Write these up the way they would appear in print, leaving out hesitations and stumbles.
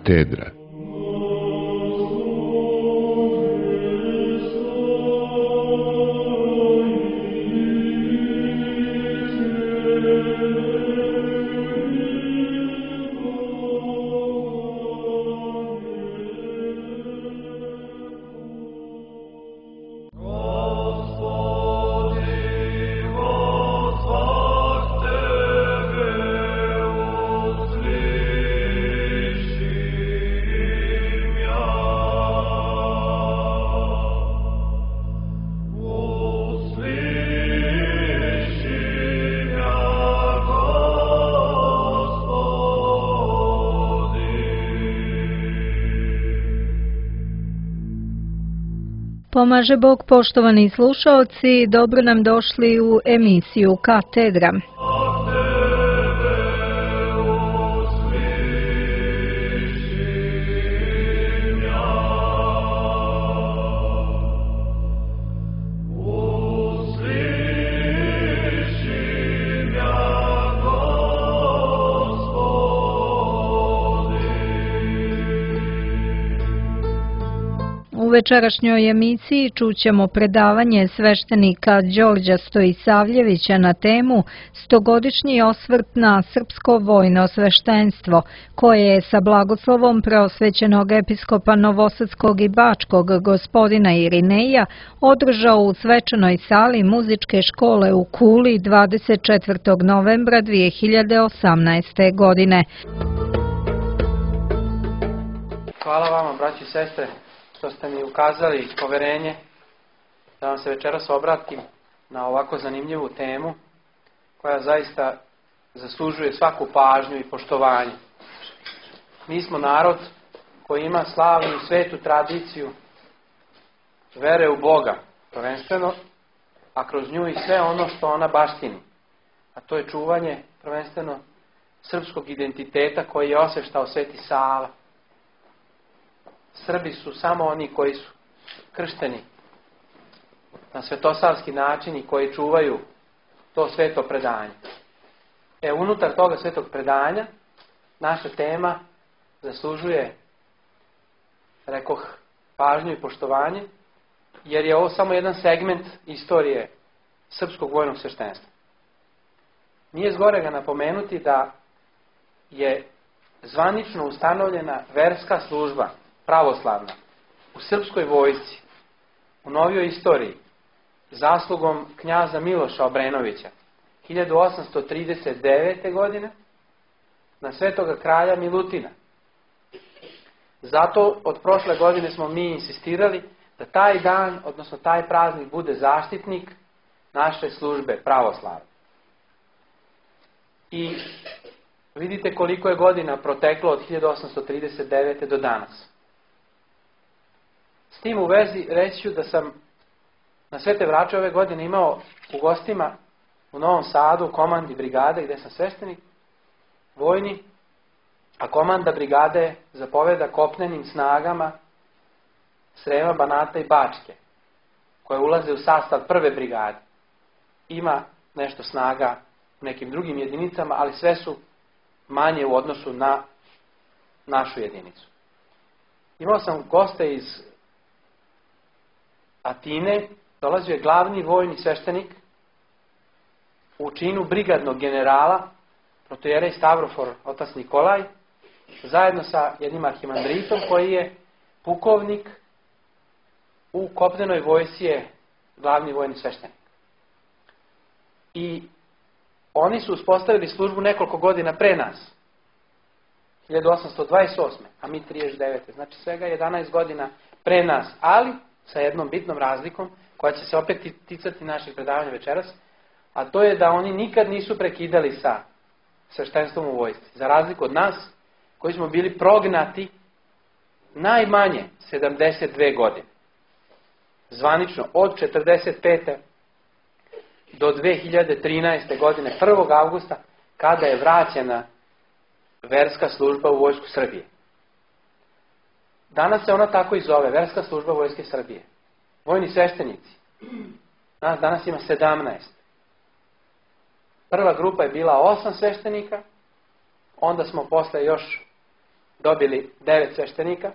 Katedra. Pomaže Bog, poštovani slušaoci, dobro nam došli u emisiju Katedra. U večerašnjoj emisiji čućemo predavanje sveštenika Đorđa Stojisavljevića na temu Stogodišnji osvrt na srpsko vojno sveštenstvo, koje je sa blagoslovom preosvećenog episkopa Novosadskog i Bačkog gospodina Irineja održao u svečanoj sali muzičke škole u Kuli 24. novembra 2018. godine. Hvala vama, braći i sestre, što ste mi ukazali poverenje da vam se večeras obratim na ovako zanimljivu temu koja zaista zaslužuje svaku pažnju i poštovanje. Mi smo narod koji ima slavnu i svetu tradiciju vere u Boga, prvenstveno, a kroz nju i sve ono što ona baštini. A to je čuvanje prvenstveno srpskog identiteta koji je osveštao Sveti Sava. Srbi su samo oni koji su kršteni na svetosavski način i koji čuvaju to sveto predanje. Unutar toga svetog predanja naša tema zaslužuje, rekoh, pažnju i poštovanje, jer je ovo samo jedan segment istorije srpskog vojnog sveštenstva. Nije zgorega napomenuti da je zvanično ustanovljena verska služba pravoslavna u srpskoj vojsci u novijoj istoriji zaslugom knjaza Miloša Obrenovića 1839. godine na svetoga kralja Milutina. Zato od prošle godine smo mi insistirali da taj dan, odnosno taj praznik, bude zaštitnik naše službe pravoslavne. I vidite koliko je godina proteklo od 1839. do danas. S tim u vezi reći ću da sam na Svete Vrače ove godine imao u gostima u Novom Sadu u komandi brigade gdje sam sveštenik, vojni, a komanda brigade zapoveda kopnenim snagama Srema, Banata i Bačke, koje ulaze u sastav prve brigade. Ima nešto snaga u nekim drugim jedinicama, ali sve su manje u odnosu na našu jedinicu. Imao sam goste iz Atine, dolazio je glavni vojni sveštenik u činu brigadnog generala, protojerej Stavrofor, otac Nikolaj, zajedno sa jednim arhimandritom koji je pukovnik u kopnenoj vojsci, je glavni vojni sveštenik. I oni su uspostavili službu nekoliko godina pre nas, 1828. a mi 39. Znači svega 11 godina pre nas, ali sa jednom bitnom razlikom koja će se opet ticati naših predavanja večeras, a to je da oni nikad nisu prekidali sa sveštenstvom u vojsci. Za razliku od nas koji smo bili prognati najmanje 72 godine. Zvanično od 45. do 2013. godine, 1. avgusta, kada je vraćena verska služba u Vojsku Srbije. Danas se ona tako i zove, verska služba Vojske Srbije. Vojni sveštenici. Nas danas ima 17. Prva grupa je bila 8 sveštenika, onda smo posle još dobili 9 sveštenika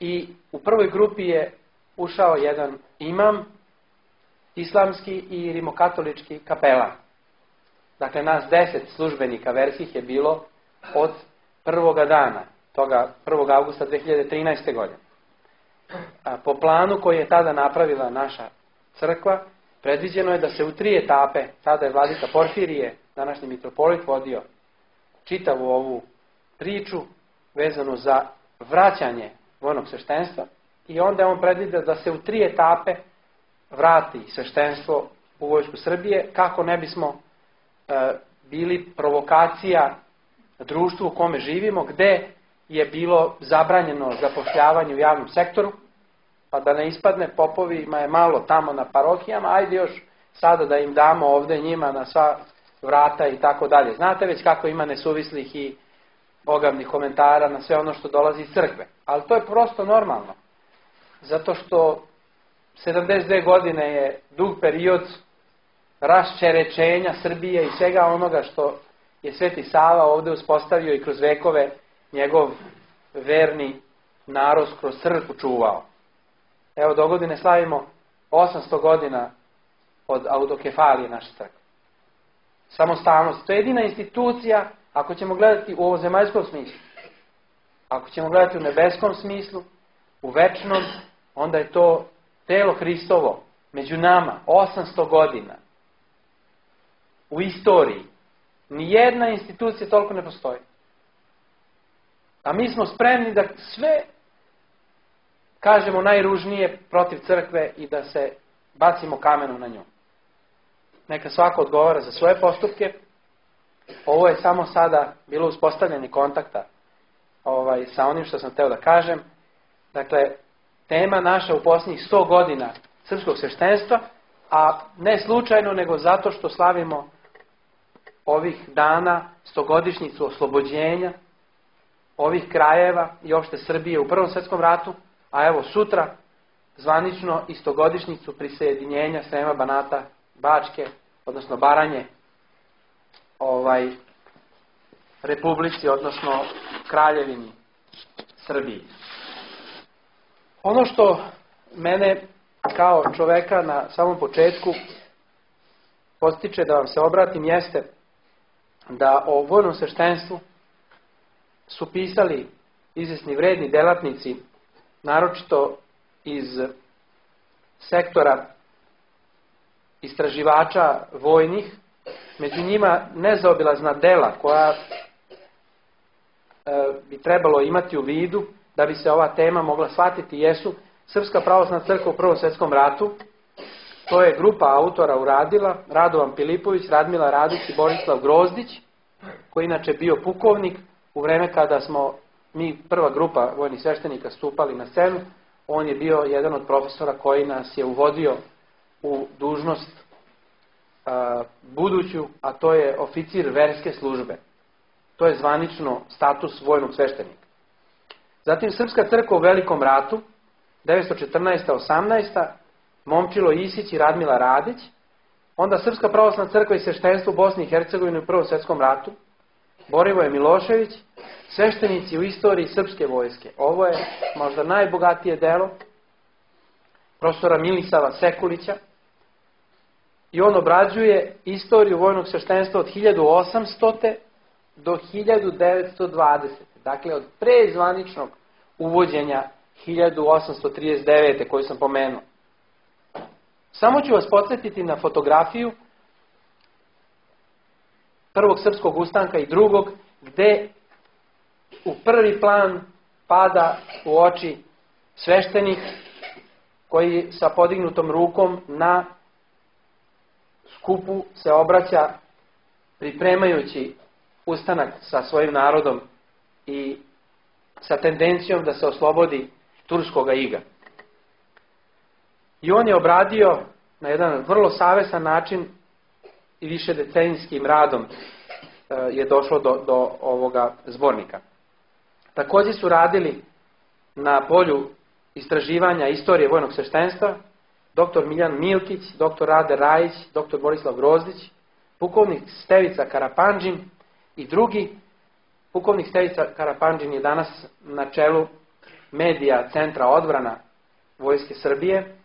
i u prvoj grupi je ušao jedan imam, islamski i rimokatolički kapelan. Dakle, nas 10 službenika verskih je bilo od prvoga dana, toga 1. augusta 2013. godine. Po planu koji je tada napravila naša crkva, predviđeno je da se u 3 etape, tada je vladika Porfirije, današnji mitropolit, vodio čitavu ovu priču vezanu za vraćanje vojnog sveštenstva i onda je on predvidio da se u 3 etape vrati sveštenstvo u vojsku Srbije kako ne bismo bili provokacija društvu u kome živimo, gde je bilo zabranjeno zapošljavanje u javnom sektoru, pa da ne ispadne popovima je malo tamo na parohijama, ajde još sada da im damo ovde njima na sva vrata i tako dalje. Znate već kako ima nesuvislih i ogavnih komentara na sve ono što dolazi iz crkve. Ali to je prosto normalno. Zato što 72 godine je dug period raščerečenja Srbije i svega onoga što je Sveti Sava ovde uspostavio i kroz vekove njegov verni narod kroz crkvu čuvao. Evo, dogodine slavimo 800 godina od autokefalije naše crkve. Samostalnost. To je jedina institucija, ako ćemo gledati u ovozemaljskom smislu, ako ćemo gledati u nebeskom smislu, u večnom, onda je to telo Hristovo među nama 800 godina. U istoriji nijedna institucija toliko ne postoji. A mi smo spremni da sve kažemo najružnije protiv crkve i da se bacimo kamenom na nju. Neka svako odgovara za svoje postupke. Ovo je samo sada bilo uspostavljanje kontakta sa onim što sam hteo da kažem. Dakle, tema naša u posljednjih 100 godina srpskog sveštenstva, a ne slučajno, nego zato što slavimo ovih dana 100-godišnjicu oslobođenja ovih krajeva i opšte Srbije u Prvom svetskom ratu, a evo sutra zvanično i 100-godišnjicu prisajedinjenja Srema, Banata, Bačke, odnosno Baranje, Republici, odnosno Kraljevini Srbiji. Ono što mene kao čoveka na samom početku postiče da vam se obratim jeste da o vojnom sveštenstvu su pisali izvesni vredni delatnici, naročito iz sektora istraživača vojnih, među njima nezaobilazna dela koja bi trebalo imati u vidu da bi se ova tema mogla shvatiti jesu Srpska pravoslavna crkva u Prvom svetskom ratu, to je grupa autora uradila, Radovan Pilipović, Radmila Radić i Borislav Grozdić, koji inače bio pukovnik u vreme kada smo mi prva grupa vojnih sveštenika stupali na scenu. On je bio jedan od profesora koji nas je uvodio u dužnost buduću, a to je oficir verske službe. To je zvanično status vojnog sveštenika. Zatim Srpska crkva u Velikom ratu, 914-18, Momčilo Isić i Radmila Radić. Onda Srpska pravoslavna crkva i sveštenstvo u Bosni i Hercegovini u Prvom svetskom ratu, Borivoje Milošević, sveštenici u istoriji srpske vojske. Ovo je možda najbogatije delo profesora Milisava Sekulića i on obrađuje istoriju vojnog sveštenstva od 1800. do 1920. Dakle, od prezvaničnog uvođenja 1839. koju sam pomenuo. Samo ću vas podsjetiti na fotografiju prvog srpskog ustanka i drugog, gde u prvi plan pada u oči sveštenik koji sa podignutom rukom na skupu se obraća pripremajući ustanak sa svojim narodom i sa tendencijom da se oslobodi turskoga iga. I on je obradio na jedan vrlo savesan način i više decenijskim radom je došlo do ovoga zbornika. Također su radili na polju istraživanja istorije vojnog sveštenstva dr. Miljan Milkić, dr. Rade Rajić, dr. Borislav Grozdić, pukovnik Stevica Karapandžin i drugi Pukovnik Stevica Karapandžin je danas na čelu medija Centra odbrana Vojske Srbije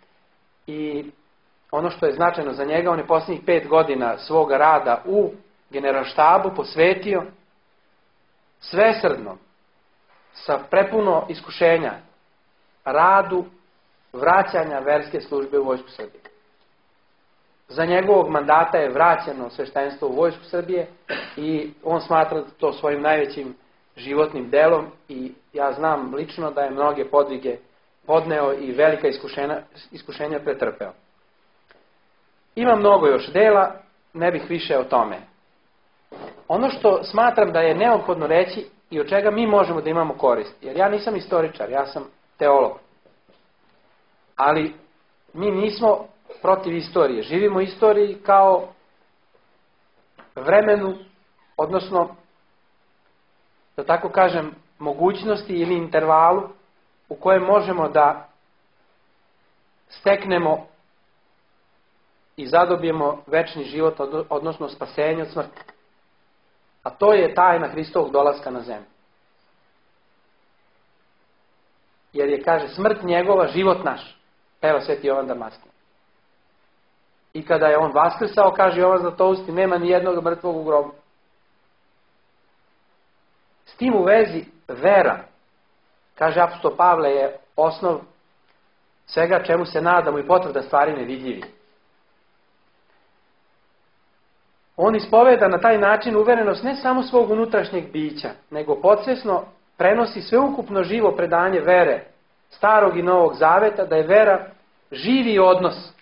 i ono što je značajno za njega, on je posljednjih 5 godina svoga rada u Generalštabu posvetio svesrdno, sa prepuno iskušenja, radu vraćanja verske službe u Vojsku Srbije. Za njegovog mandata je vraćeno sveštenstvo u Vojsku Srbije i on smatra to svojim najvećim životnim delom i ja znam lično da je mnoge podvige podneo i velika iskušenja pretrpeo. Ima mnogo još dela, ne bih više o tome. Ono što smatram da je neophodno reći i od čega mi možemo da imamo korist, jer ja nisam istoričar, ja sam teolog. Ali mi nismo protiv istorije. Živimo u istoriji kao vremenu, odnosno, da tako kažem, mogućnosti ili intervalu u kojem možemo da steknemo i zadobijemo večni život, odnosno spasenje od smrti. A to je tajna Hristovog dolaska na zemlju. Jer je, kaže, smrt njegova, život naš. Peva Sveti Jovan Damaskin. I kada je on vaskrsao, kaže Jovan Zlatousti, nema ni jednog mrtvog u grobu. S tim u vezi vera, kaže apostol Pavle, je osnov svega čemu se nadamo i potvrda stvari nevidljivi. On ispoveda na taj način uverenost ne samo svog unutrašnjeg bića, nego podsvjesno prenosi sveukupno živo predanje vere, starog i novog zaveta, da je vera živi odnos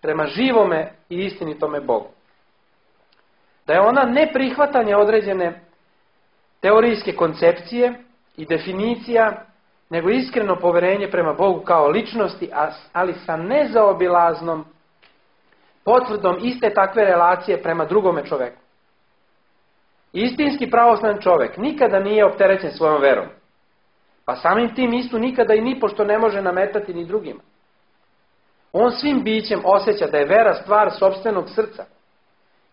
prema živome i istinitome Bogu. Da je ona neprihvatanje određene teorijske koncepcije i definicija, nego iskreno poverenje prema Bogu kao ličnosti, ali sa nezaobilaznom potvrdom iste takve relacije prema drugome čoveku. Istinski pravoslavni čovek nikada nije opterećen svojom verom, pa samim tim istu nikada i nipošto ne može nametati ni drugima. On svim bićem osjeća da je vera stvar sopstvenog srca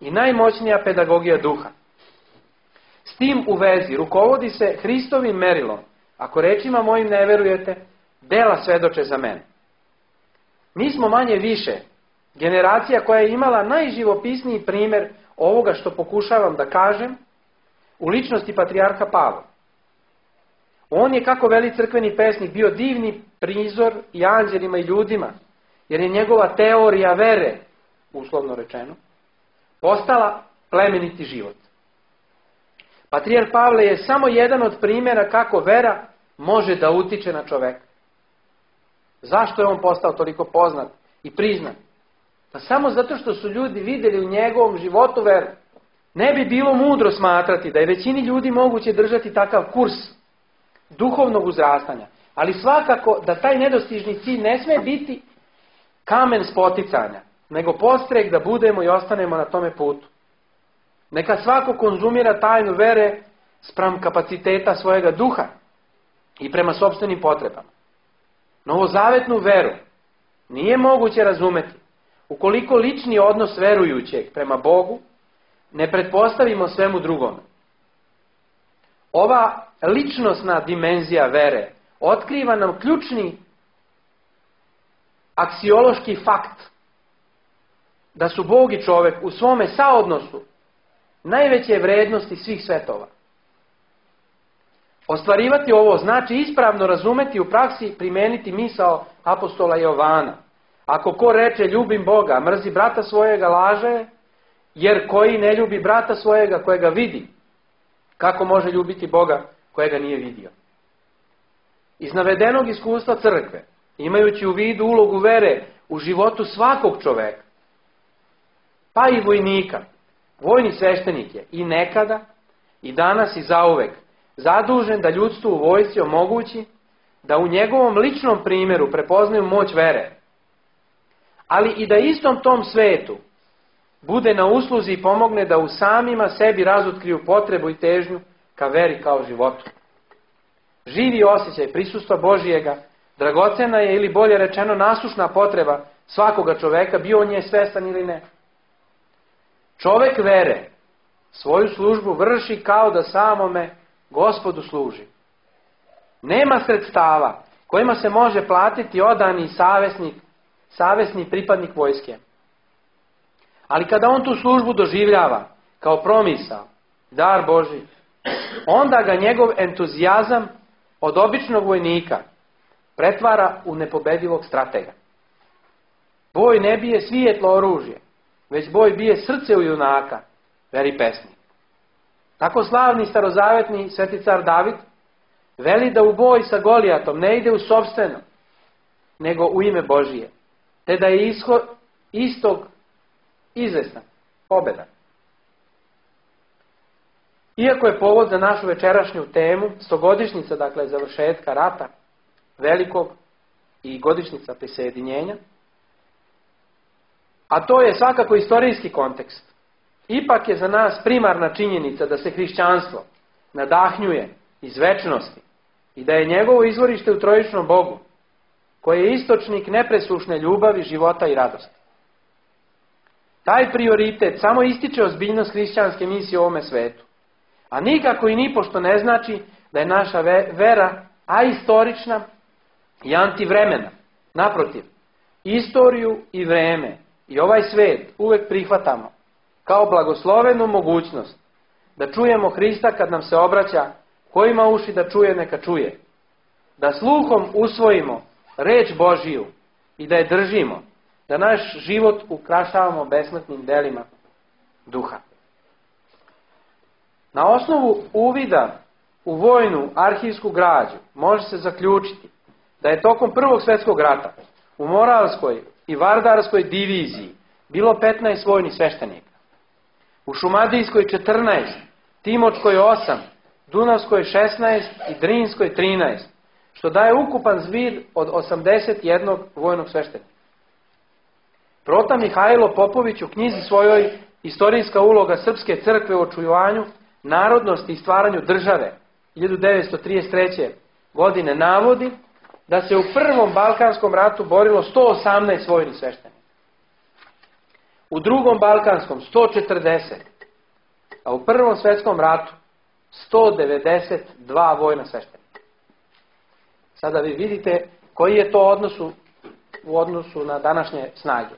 i najmoćnija pedagogija duha. S tim u vezi rukovodi se Hristovim merilom. Ako rečima mojim ne verujete, dela svedoče za mene. Mi smo manje više generacija koja je imala najživopisniji primjer ovoga što pokušavam da kažem u ličnosti patrijarha Pavla. On je, kako veli crkveni pesnik, bio divni prizor i anđelima i ljudima, jer je njegova teorija vere, uslovno rečeno, postala plemeniti život. Patrijarh Pavle je samo jedan od primjera kako vera može da utiče na čoveka. Zašto je on postao toliko poznat i priznat? Pa samo zato što su ljudi vidjeli u njegovom životu veru. Ne bi bilo mudro smatrati da je većini ljudi moguće držati takav kurs duhovnog uzrastanja. Ali svakako da taj nedostižni cilj ne sme biti kamen spoticanja, nego postrek da budemo i ostanemo na tome putu. Neka svako konzumira tajnu vere spram kapaciteta svojega duha i prema sopstvenim potrebama. Novozavetnu veru nije moguće razumeti ukoliko lični odnos verujućeg prema Bogu ne pretpostavimo svemu drugome. Ova ličnosna dimenzija vere otkriva nam ključni aksiološki fakt da su Bog i čovjek u svome saodnosu najveće vrednosti svih svetova. Ostvarivati ovo znači ispravno razumeti u praksi, primeniti misao apostola Jovana. Ako ko reče ljubim Boga, mrzi brata svojega, laže, jer koji ne ljubi brata svojega kojega vidi, kako može ljubiti Boga kojega nije vidio? Iz navedenog iskustva crkve, imajući u vidu ulogu vere u životu svakog čoveka, pa i vojnika, vojni sveštenik je i nekada, i danas i zauvek zadužen da ljudstvu u vojsci omogući da u njegovom ličnom primjeru prepoznaju moć vere, ali i da istom tom svetu bude na usluzi i pomogne da u samima sebi razotkriju potrebu i težnju ka veri kao životu. Živi osjećaj prisustva Božijega dragocena je, ili bolje rečeno nasušna potreba svakoga čoveka, bio on nje svestan ili ne. Čovek vere svoju službu vrši kao da samome Gospodu služi. Nema sredstava kojima se može platiti odani savesni pripadnik vojske. Ali kada on tu službu doživljava kao promisao, dar Božji, onda ga njegov entuzijazam od običnog vojnika pretvara u nepobedivog stratega. Boj ne bije svijetlo oružje, već boj bije srce u junaka, veli pesnik. Tako slavni starozavetni sveti car David veli da u boj sa Golijatom ne ide u sopstveno, nego u ime Božije, te da je ishod istog izvestan, pobjeda. Iako je povod za našu večerašnju temu 100-godišnjica, dakle završetka rata velikog i godišnjica prisjedinjenja, a to je svakako istorijski kontekst, ipak je za nas primarna činjenica da se hrišćanstvo nadahnjuje iz večnosti i da je njegovo izvorište u trojičnom Bogu, koji je istočnik nepresušne ljubavi, života i radosti. Taj prioritet samo ističe ozbiljnost hrišćanske misije u ovome svetu, a nikako i nipošto ne znači da je naša vera ahistorična i antivremena. Naprotiv, istoriju i vreme i ovaj svet uvek prihvatamo kao blagoslovenu mogućnost da čujemo Hrista kad nam se obraća, ko ima uši da čuje, neka čuje. Da sluhom usvojimo reč Božiju i da je držimo, da naš život ukrašavamo besmrtnim delima duha. Na osnovu uvida u vojnu arhivsku građu može se zaključiti da je tokom Prvog svjetskog rata u Moravskoj i Vardarskoj diviziji bilo 15 vojnih sveštenika. U Šumadijskoj 14, Timočkoj 8, Dunavskoj 16 i Drinskoj 13, što daje ukupan zbir od 81 vojnog sveštenika. Prota Mihajlo Popović u knjizi svojoj Istorijska uloga Srpske crkve u očuvanju narodnosti i stvaranju države 1933. godine navodi da se u Prvom Balkanskom ratu borilo 118 vojnih sveštenika. U Drugom Balkanskom 140, a u Prvom svjetskom ratu 192 vojna sveštenika. Sada vi vidite koji je to u odnosu na današnje snage.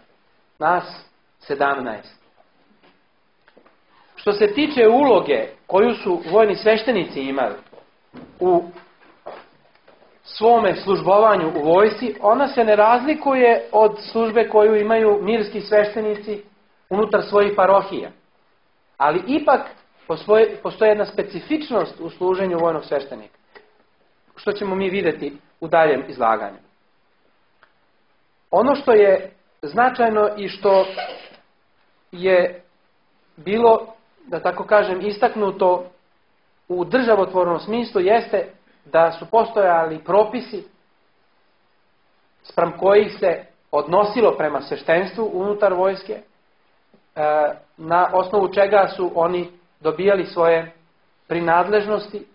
Nas 17. Što se tiče uloge koju su vojni sveštenici imali u svome službovanju u vojsci, ona se ne razlikuje od službe koju imaju mirski sveštenici unutar svojih parohija. Ali ipak postoji jedna specifičnost u služenju vojnog sveštenika, što ćemo mi vidjeti u daljem izlaganju. Ono što je značajno i što je bilo, da tako kažem, istaknuto u državotvornom smislu jeste da su postojali propisi spram kojih se odnosilo prema sveštenstvu unutar vojske, na osnovu čega su oni dobijali svoje prinadležnosti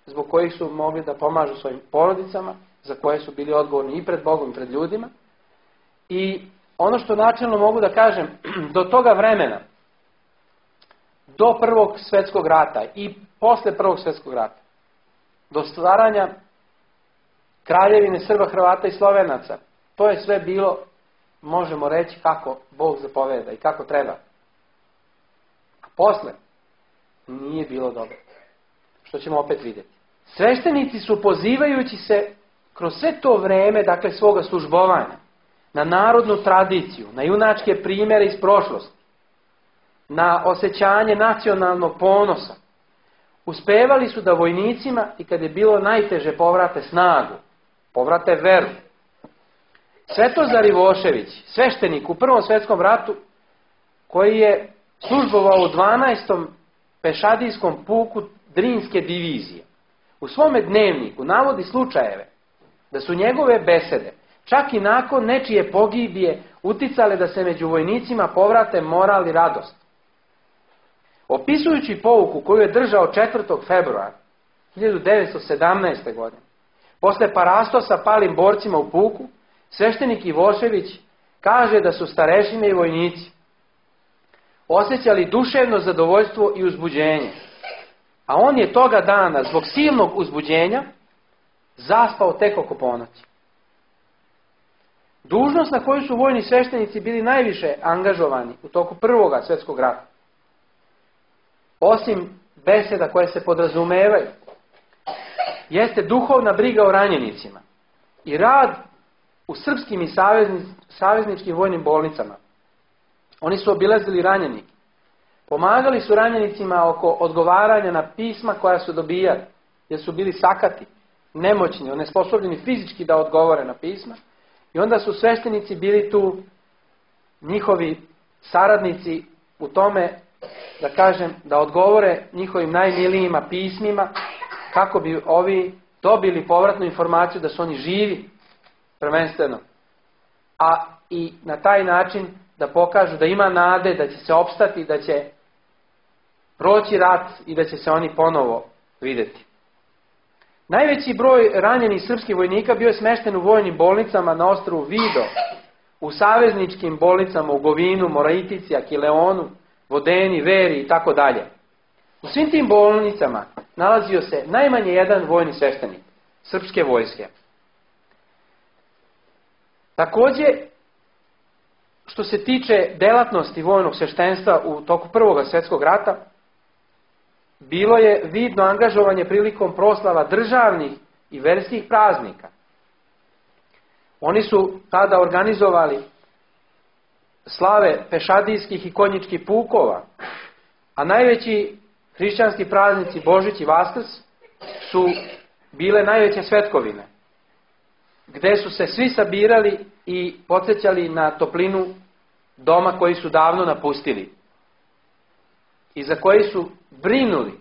zbog kojih su mogli da pomažu svojim porodicama, za koje su bili odgovorni i pred Bogom i pred ljudima. I ono što načelno mogu da kažem, do toga vremena, do Prvog svjetskog rata i posle Prvog svjetskog rata, do stvaranja kraljevine Srba, Hrvata i Slovenaca, to je sve bilo, možemo reći, kako Bog zapoveda i kako treba. A posle nije bilo dobro. Što ćemo opet vidjeti. Sveštenici su, pozivajući se kroz sve to vreme, dakle svoga službovanja, na narodnu tradiciju, na junačke primjere iz prošlosti, na osjećanje nacionalnog ponosa, uspevali su da vojnicima, i kad je bilo najteže, povrate snagu, povrate veru. Svetozar Ivošević, sveštenik u Prvom svjetskom ratu, koji je službovao u 12. pešadijskom puku Drinske divizije, u svome dnevniku navodi slučajeve da su njegove besede, čak i nakon nečije pogibije, uticale da se među vojnicima povrate moral i radost. Opisujući pouku koju je držao 4. februara 1917. godine, posle parastosa palim borcima u puku, sveštenik Ivošević kaže da su starešine i vojnici osjećali duševno zadovoljstvo i uzbuđenje. A on je toga dana, zbog silnog uzbuđenja, zaspao tek oko ponoći. Dužnost na koju su vojni sveštenici bili najviše angažovani u toku Prvoga svjetskog rata, osim beseda koje se podrazumevaju, jeste duhovna briga o ranjenicima i rad u srpskim i savezničkim vojnim bolnicama. Oni su obilazili ranjenike. Pomagali su ranjenicima oko odgovaranja na pisma koja su dobijali, jer su bili sakati, nemoćni, onesposobljeni fizički da odgovore na pisma. I onda su sveštenici bili tu njihovi saradnici u tome, da kažem, da odgovore njihovim najmilijima pismima, kako bi ovi dobili povratnu informaciju da su oni živi, prvenstveno. A i na taj način da pokažu da ima nade, da će se opstati, da će proći rat i da će se oni ponovo vidjeti. Najveći broj ranjenih srpskih vojnika bio je smešten u vojnim bolnicama na ostrvu Vido, u savezničkim bolnicama u Govinu, Moraitici, Akileonu, Vodeni, Veri i tako dalje. U svim tim bolnicama nalazio se najmanje jedan vojni sveštenik srpske vojske. Također, što se tiče delatnosti vojnog sveštenstva u toku Prvoga svjetskog rata, bilo je vidno angažovanje prilikom proslava državnih i verskih praznika. Oni su tada organizovali slave pešadijskih i konjičkih pukova, a najveći hrišćanski praznici Božić i Vaskrs su bile najveće svetkovine, gdje su se svi sabirali i podsjećali na toplinu doma koji su davno napustili i za koji su brinuli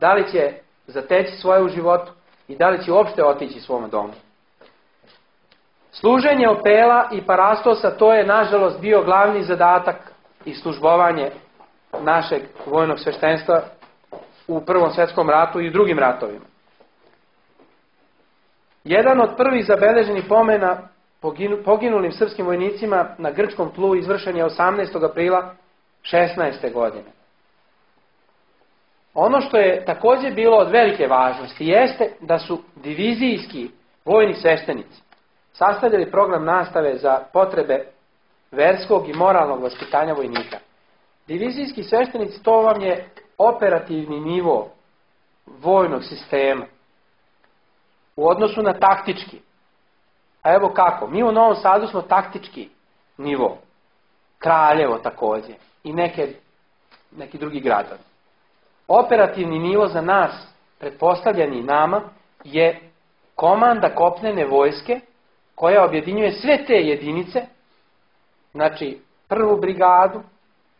da li će zateći svoje u životu i da li će uopšte otići svom domu. Služenje opela i parastosa, to je nažalost bio glavni zadatak i službovanje našeg vojnog sveštenstva u Prvom svjetskom ratu i drugim ratovima. Jedan od prvih zabeleženih pomena poginulim srpskim vojnicima na grčkom tlu izvršen je 18. aprila 16. godine. Ono što je također bilo od velike važnosti jeste da su divizijski vojni sveštenici sastavljali program nastave za potrebe verskog i moralnog vaspitanja vojnika. Divizijski sveštenici, to vam je operativni nivo vojnog sistema u odnosu na taktički. A evo kako, mi u Novom Sadu smo taktički nivo, Kraljevo također i neki drugi gradovi. Operativni nivo za nas, pretpostavljeni nama, je komanda kopnene vojske koja objedinjuje sve te jedinice, znači prvu brigadu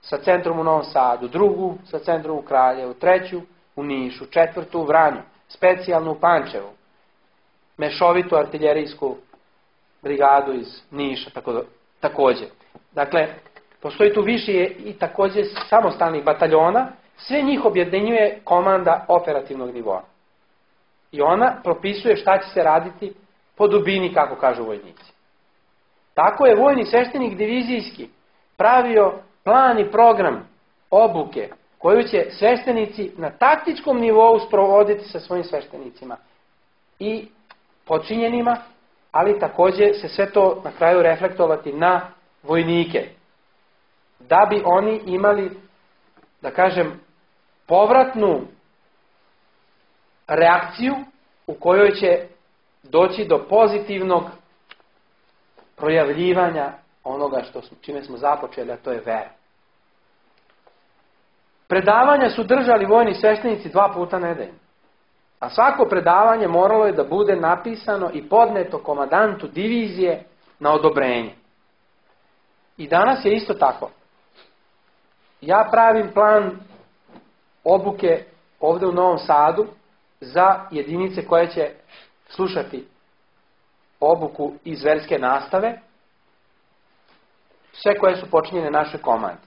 sa centrom u Novom Sadu, drugu sa centrom u Kraljevu, treću u Nišu, četvrtu u Vranju, specijalnu u Pančevu, mešovitu artiljerijsku brigadu iz Niša također. Dakle, postoji tu više i također samostalnih bataljona, sve njih objedinjuje komanda operativnog nivoa. I ona propisuje šta će se raditi po dubini, kako kažu vojnici. Tako je vojni sveštenik divizijski pravio plan i program obuke koju će sveštenici na taktičkom nivou sprovoditi sa svojim sveštenicima i podčinjenima, ali također se sve to na kraju reflektovati na vojnike. Da bi oni imali, da kažem, povratnu reakciju u kojoj će doći do pozitivnog projavljivanja onoga čime smo započeli, a to je vera. Predavanja su držali vojni sveštenici 2 puta nedeljno. A svako predavanje moralo je da bude napisano i podneto komandantu divizije na odobrenje. I danas je isto tako. Ja pravim plan obuke ovdje u Novom Sadu za jedinice koje će slušati obuku iz verske nastave, sve koje su počinjene našoj komandi.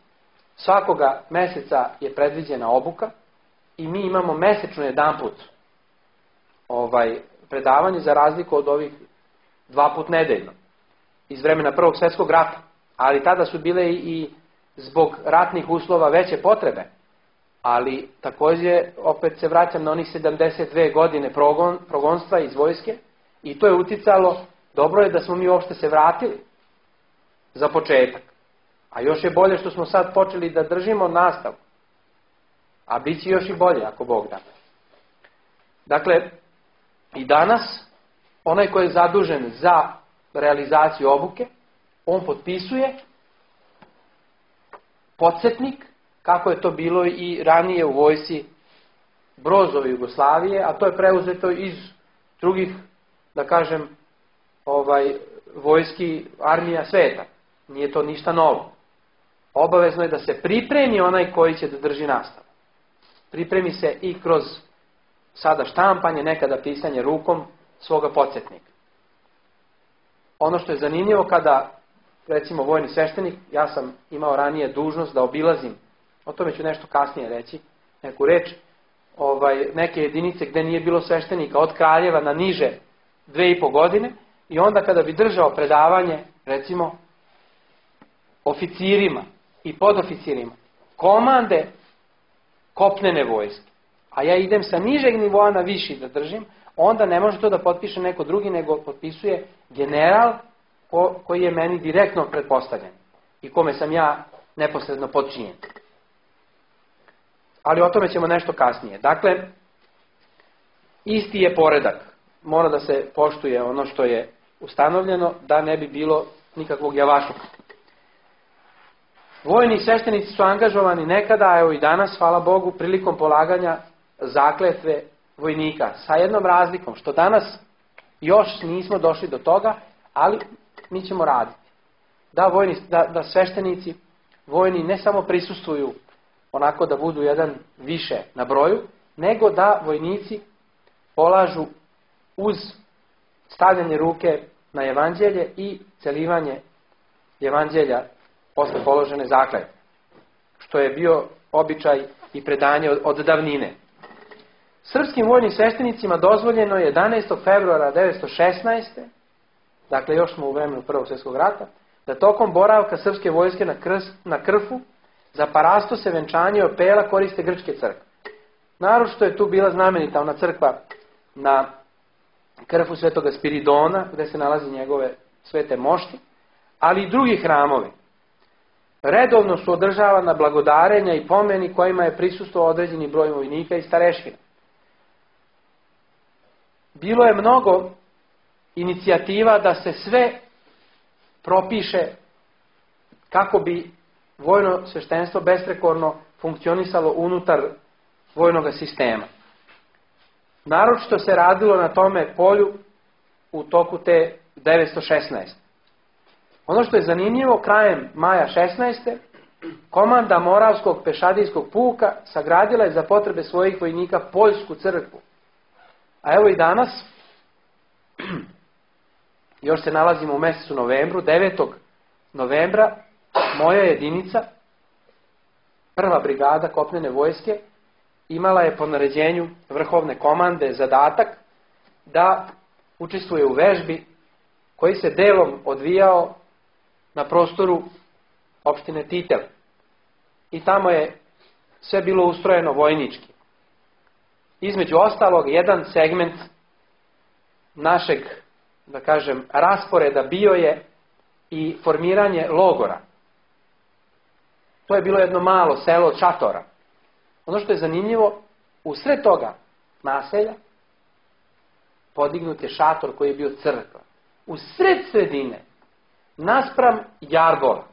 Svakoga mjeseca je predviđena obuka i mi imamo mjesečno jedanput predavanje, za razliku od ovih 2 puta nedeljno iz vremena Prvog svjetskog rata. Ali tada su bile i zbog ratnih uslova veće potrebe, ali također opet se vraćam na onih 72 godine progonstva iz vojske i to je uticalo, dobro je da smo mi uopšte se vratili za početak. A još je bolje što smo sad počeli da držimo nastavu. A bit će još i bolje ako Bog da. Dakle, i danas onaj koji je zadužen za realizaciju obuke, on potpisuje podsjetnik, kako je to bilo i ranije u vojsci Brozove Jugoslavije, a to je preuzeto iz drugih, da kažem, vojski armija sveta. Nije to ništa novo. Obavezno je da se pripremi onaj koji će da drži nastavu. Pripremi se i kroz sada štampanje, nekada pisanje rukom svoga podsjetnika. Ono što je zanimljivo kada, recimo, vojni sveštenik, ja sam imao ranije dužnost da obilazim, o tome ću nešto kasnije reći, neku reč, neke jedinice gdje nije bilo sveštenika, od Kraljeva na niže 2,5 godine, i onda kada bi držao predavanje, recimo, oficirima i podoficirima, komande kopnene vojske, a ja idem sa nižeg nivoa na viši da držim, onda ne može to da potpiše neko drugi, nego potpisuje general koji je meni direktno pretpostavljen i kome sam ja neposredno podčinjen. Ali o tome ćemo nešto kasnije. Dakle, isti je poredak. Mora da se poštuje ono što je ustanovljeno, da ne bi bilo nikakvog javašluka. Vojni sveštenici su angažovani nekada, evo i danas, hvala Bogu, prilikom polaganja zakletve vojnika. Sa jednom razlikom, što danas još nismo došli do toga, ali mi ćemo raditi. Da sveštenici vojni ne samo prisustvuju onako da budu jedan više na broju, nego da vojnici polažu uz stavljanje ruke na evanđelje i celivanje evanđelja posle položene zakletve, što je bio običaj i predanje od davnine. Srpskim vojnim sveštenicima dozvoljeno je 11. februara 1916. Dakle, još smo u vremenu Prvog svjetskog rata, da tokom boravka srpske vojske na Krfu za parasto se venčanje opela koriste grčke crkve. Naročito je tu bila znamenita ona crkva na Krfu svetoga Spiridona, gdje se nalazi njegove svete mošti, ali i drugi hramovi. Redovno su održavana blagodarenja i pomeni kojima je prisustvovao određeni broj vojnika i starešina. Bilo je mnogo inicijativa da se sve propiše kako bi vojno sveštenstvo besprekorno funkcionisalo unutar vojnog sistema. Naročito se radilo na tome polju u toku te 1916. Ono što je zanimljivo, krajem maja 16. komanda Moravskog pešadijskog puka sagradila je za potrebe svojih vojnika poljsku crkvu. A evo i danas, još se nalazimo u mjesecu novembru, 9. novembra, moja jedinica, prva brigada kopnene vojske, imala je po naređenju vrhovne komande zadatak da učestvuje u vežbi koji se delom odvijao na prostoru opštine Titel. I tamo je sve bilo ustrojeno vojnički. Između ostalog, jedan segment našeg, da kažem, rasporeda bio je i formiranje logora. To je bilo jedno malo selo od šatora. Ono što je zanimljivo, usred toga naselja podignut je šator koji je bio crkva. Usred sredine, naspram jarbola,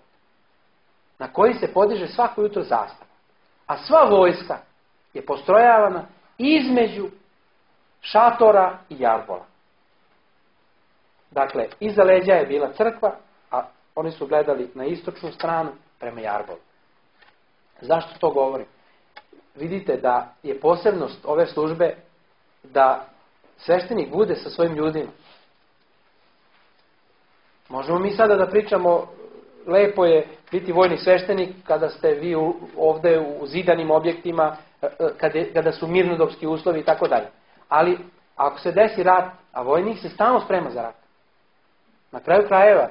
na koji se podiže svako jutro zastava. A sva vojska je postrojavana između šatora i jarbola. Dakle, iza leđa je bila crkva, a oni su gledali na istočnu stranu prema jarbolu. Zašto to govorim? Vidite da je posebnost ove službe da sveštenik bude sa svojim ljudima. Možemo mi sada da pričamo, lepo je biti vojni sveštenik kada ste vi ovdje u zidanim objektima, kada su mirnodopski uslovi i tako dalje. Ali ako se desi rat, a vojnik se stalno sprema za rat. Na kraju krajeva,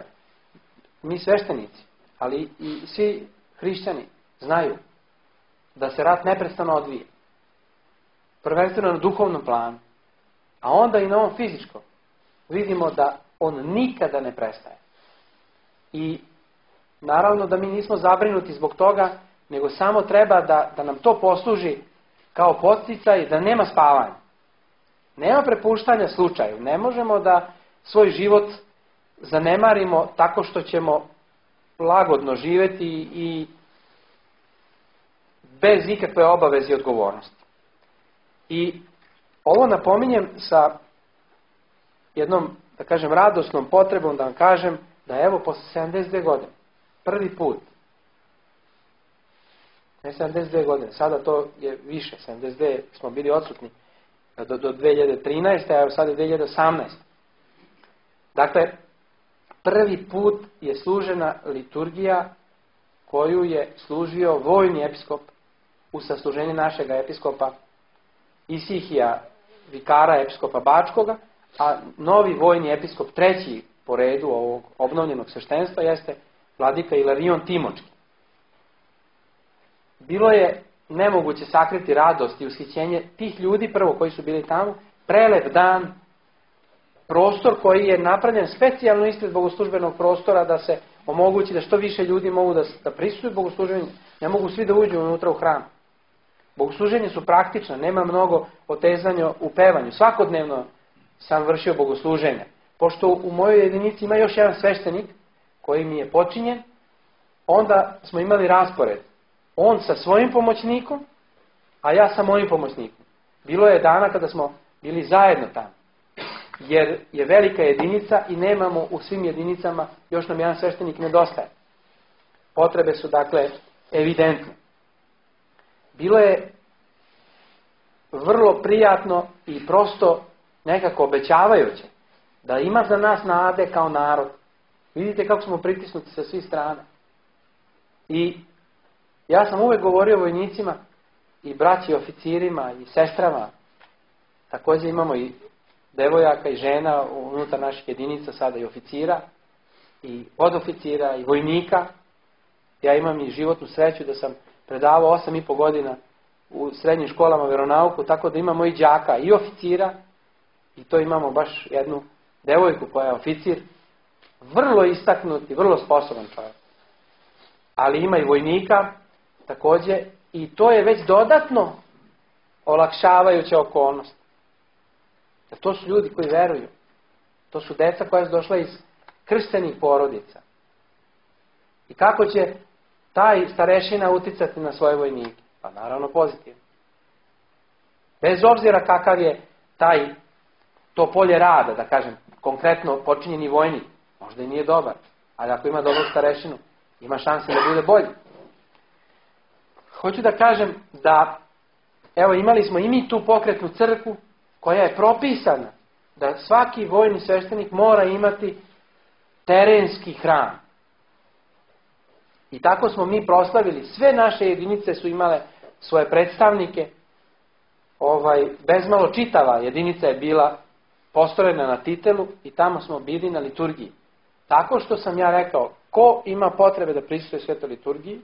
mi sveštenici, ali i svi hrišćani znaju da se rat neprestano odvija. Prvenstveno na duhovnom planu. A onda i na ovom fizičkom. Vidimo da on nikada ne prestaje. I naravno da mi nismo zabrinuti zbog toga, nego samo treba da nam to posluži kao podsticaj da nema spavanja. Nema prepuštanja slučaju. Ne možemo da svoj život zanemarimo tako što ćemo lagodno živjeti i bez ikakve obaveze i odgovornosti. I ovo napominjem sa jednom, da kažem, radosnom potrebom da vam kažem da evo posle 72 godine, prvi put, ne 72 godine, sada to je više, 72 smo bili odsutni do 2013. a evo sada je 2018. Dakle, prvi put je služena liturgija koju je služio vojni episkop u sasluženju našeg episkopa Isihija, vikara episkopa Bačkoga, a novi vojni episkop, treći po redu ovog obnovljenog sveštenstva, jeste vladika Ilarion Timočki. Bilo je nemoguće sakriti radost i ushićenje tih ljudi, prvo koji su bili tamo, prelep dan, prostor koji je napravljen specijalno ispred bogoslužbenog prostora da se omogući da što više ljudi mogu da prisustvuju bogosluženju, ne mogu svi da uđu unutra u hram. Bogosluženje su praktična, nema mnogo otezanja u pevanju. Svakodnevno sam vršio bogosluženje. Pošto u mojoj jedinici ima još jedan sveštenik koji mi je počinjen, onda smo imali raspored. On sa svojim pomoćnikom, a ja sa mojim pomoćnikom. Bilo je dana kada smo bili zajedno tamo. Jer je velika jedinica i nemamo u svim jedinicama, još nam jedan sveštenik nedostaje. Potrebe su dakle evidentne. Bilo je vrlo prijatno i prosto nekako obećavajuće da ima za nas nade kao narod. Vidite kako smo pritisnuti sa svih strana. I ja sam uvek govorio vojnicima i braći i oficirima i sestrama. Također imamo i devojaka i žena unutar naših jedinica, sada i oficira, i podoficira, i vojnika. Ja imam i životnu sreću da sam predavao 8,5 godina u srednjim školama veronauku, tako da imamo i đaka i oficira, i to imamo baš jednu devojku koja je oficir, vrlo istaknut i vrlo sposoban čovjek. Ali ima i vojnika također, i to je već dodatno olakšavajuća okolnost. Jer to su ljudi koji veruju. To su deca koja su došla iz krštenih porodica. I kako će taj starešina uticati na svoje vojnike? Pa naravno pozitivno. Bez obzira kakav je to polje rada, da kažem, konkretno počinjeni vojnik, možda i nije dobar, ali ako ima dobrog starešinu, ima šanse da bude bolji. Hoću da kažem da, evo, imali smo i mi tu pokretnu crkvu koja je propisana da svaki vojni sveštenik mora imati terenski hram. I tako smo mi proslavili. Sve naše jedinice su imale svoje predstavnike. Bezmalo čitava jedinica je bila postrojena na titelu i tamo smo bili na liturgiji. Tako što sam ja rekao, ko ima potrebe da prisustvuje svetoj liturgiji,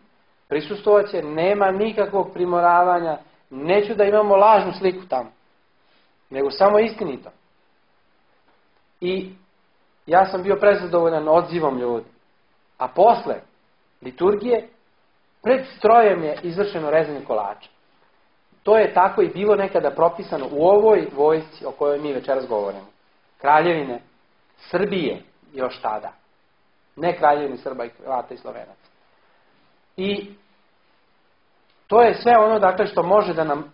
prisustvovat će, nema nikakvog primoravanja, neću da imamo lažnu sliku tamo, nego samo istinito. I ja sam bio prezadovoljan odzivom ljudi. A posle liturgije, pred strojem je izvršeno rezanje kolača. To je tako i bilo nekada propisano u ovoj vojsci o kojoj mi večeras govorimo. Kraljevine Srbije još tada. Ne Kraljevine Srba i Hrvata i Slovenaca. I to je sve ono, dakle, što može da nam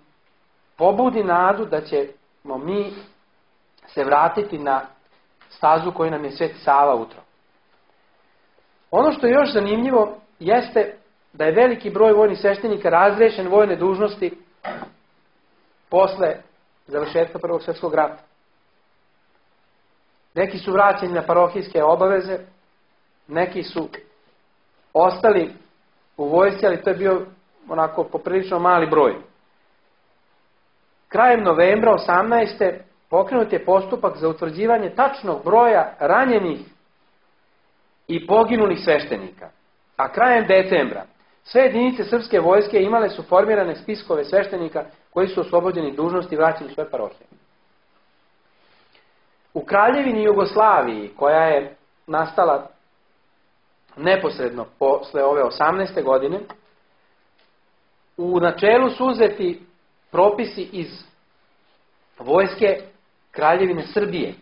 pobudi nadu da ćemo mi se vratiti na stazu koju nam je Sveti Sava utro. Ono što je još zanimljivo jeste da je veliki broj vojnih sveštenika razrešen vojne dužnosti posle završetka Prvog svjetskog rata. Neki su vraćeni na parohijske obaveze, neki su ostali u vojsci, ali to je bio onako poprilično mali broj. Krajem novembra 18. pokrenut je postupak za utvrđivanje tačnog broja ranjenih i poginulih sveštenika. A krajem decembra Sve jedinice srpske vojske imale su formirane spiskove sveštenika koji su oslobođeni dužnosti i vraćeni u svoje parohije. U Kraljevini Jugoslaviji, koja je nastala neposredno posle ove 18. godine, u načelu su uzeti propisi iz vojske Kraljevine Srbije.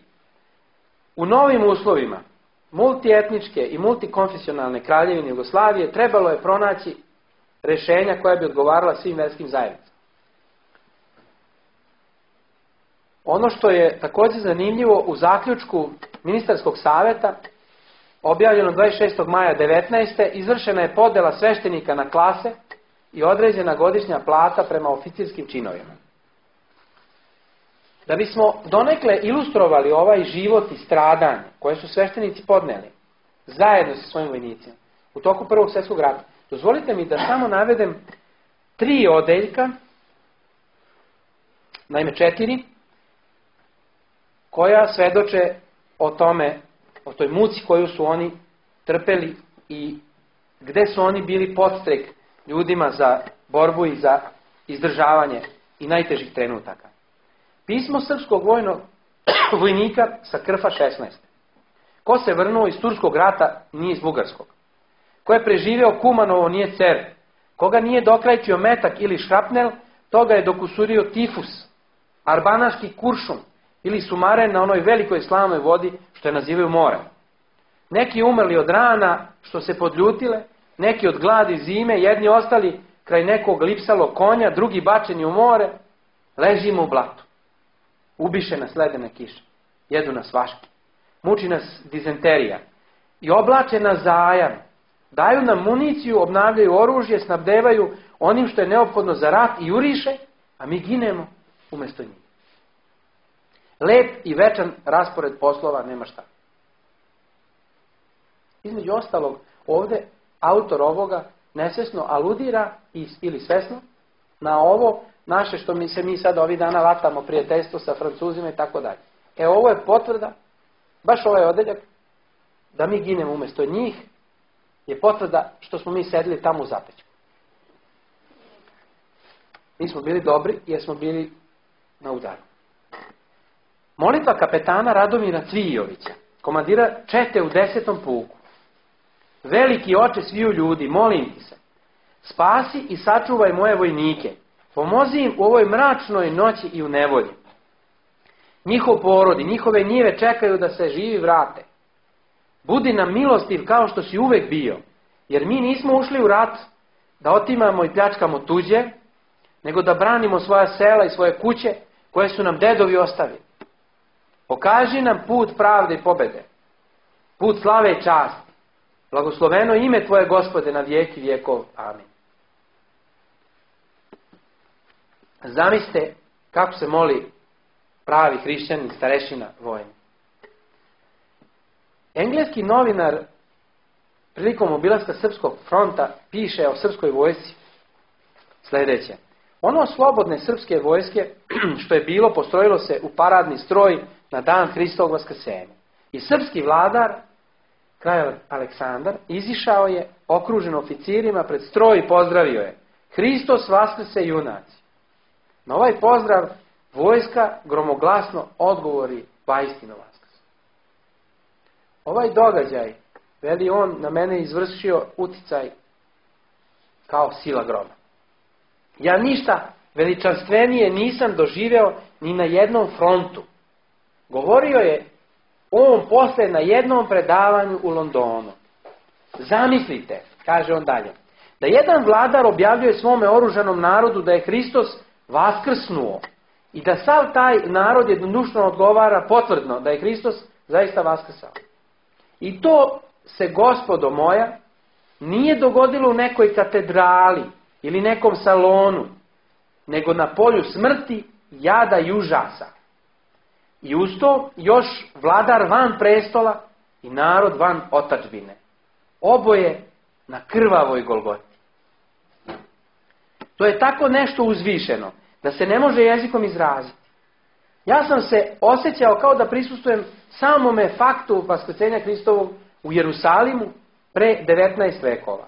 U novim uslovima multietničke i multikonfesionalne Kraljevine Jugoslavije trebalo je pronaći rješenja koja bi odgovarala svim verskim zajednicama. Ono što je također zanimljivo, u zaključku ministarskog savjeta, objavljeno 26. maja 19. izvršena je podjela sveštenika na klase i određena godišnja plata prema oficirskim činovima. Da bismo donekle ilustrovali ovaj život i stradanje koje su sveštenici podneli zajedno sa svojim vojnicima u toku Prvog svjetskog rata, dozvolite mi da samo navedem 3 odeljka, naime 4, koja svedoče o tome, o toj muci koju su oni trpeli i gde su oni bili podstrek ljudima za borbu i za izdržavanje i najtežih trenutaka. Pismo srpskog vojnika sa Krfa 16. Ko se vrnuo iz Turskog rata, nije iz Bugarskog. Ko je preživeo Kumanovo, nije cer. Koga nije dokrajčio metak ili šrapnel, toga je dokusurio tifus, arbanaški kuršum ili sumaren na onoj velikoj slavnoj vodi što je nazivaju more. Neki umrli od rana što se podljutile, neki od gladi zime, jedni ostali kraj nekog lipsalog konja, drugi bačeni u more, ležimo u blatu. Ubiše nas ledene kiše, jedu nas vaške, muči nas dizenterija i oblače nas zajam, daju nam municiju, obnavljaju oružje, snabdevaju onim što je neophodno za rat i juriše, a mi ginemo umjesto njih. Lep i večan raspored poslova, nema šta. Između ostalog, ovdje autor ovoga nesvjesno aludira ili svjesno na ovo naše što mi sad ovih dana latamo prijateljstvo sa Francuzima i tako dalje. Ovo je potvrda, baš ovaj odeljak, da mi ginemo umjesto njih, je potvrda što smo mi sedili tamo u zapećku. Mi smo bili dobri jer smo bili na udaru. Molitva kapetana Radomira Cvijovića, komandira čete u 10. puku. Veliki oče sviju ljudi, molim ti se, spasi i sačuvaj moje vojnike. Pomozi im u ovoj mračnoj noći i u nevolji. Njihov porodi, njihove njive čekaju da se živi vrate. Budi nam milostiv kao što si uvek bio, jer mi nismo ušli u rat da otimamo i pljačkamo tuđe, nego da branimo svoja sela i svoje kuće koje su nam dedovi ostavili. Pokaži nam put pravde i pobede, put slave i časti. Blagosloveno ime Tvoje, Gospode, na vijeki vijekov. Amin. Zamislite kako se moli pravi hrišćanin, starešina vojni. Engleski novinar prilikom obilaska srpskog fronta piše o srpskoj vojsci sljedeće. Ono slobodne srpske vojske što je bilo postrojilo se u paradni stroj na dan Hristovog vaskrsenja. I srpski vladar, kralj Aleksandar, izišao je okružen oficirima pred stroj i pozdravio je: Hristos vaskrse, junaci. Na ovaj pozdrav vojska gromoglasno odgovori: vaistinu vaskrse. Ovaj događaj, veli on, na mene izvršio uticaj kao sila groma. Ja ništa veličanstvenije nisam doživeo ni na jednom frontu. Govorio je on posle na jednom predavanju u Londonu. Zamislite, kaže on dalje, da jedan vladar objavljuje svome oružanom narodu da je Hristos vaskrsnuo i da sav taj narod jednodušno odgovara potvrdno da je Hristos zaista vaskrsao. I to se, gospodo moja, nije dogodilo u nekoj katedrali ili nekom salonu, nego na polju smrti, jada i užasa. I uz to još vladar van prestola i narod van otadžbine. Oboje na krvavoj Golgoti. To je tako nešto uzvišeno da se ne može jezikom izraziti. Ja sam se osjećao kao da prisustvujem samome faktu vaskrsenja Hristovog u Jerusalimu pre 19 vekova.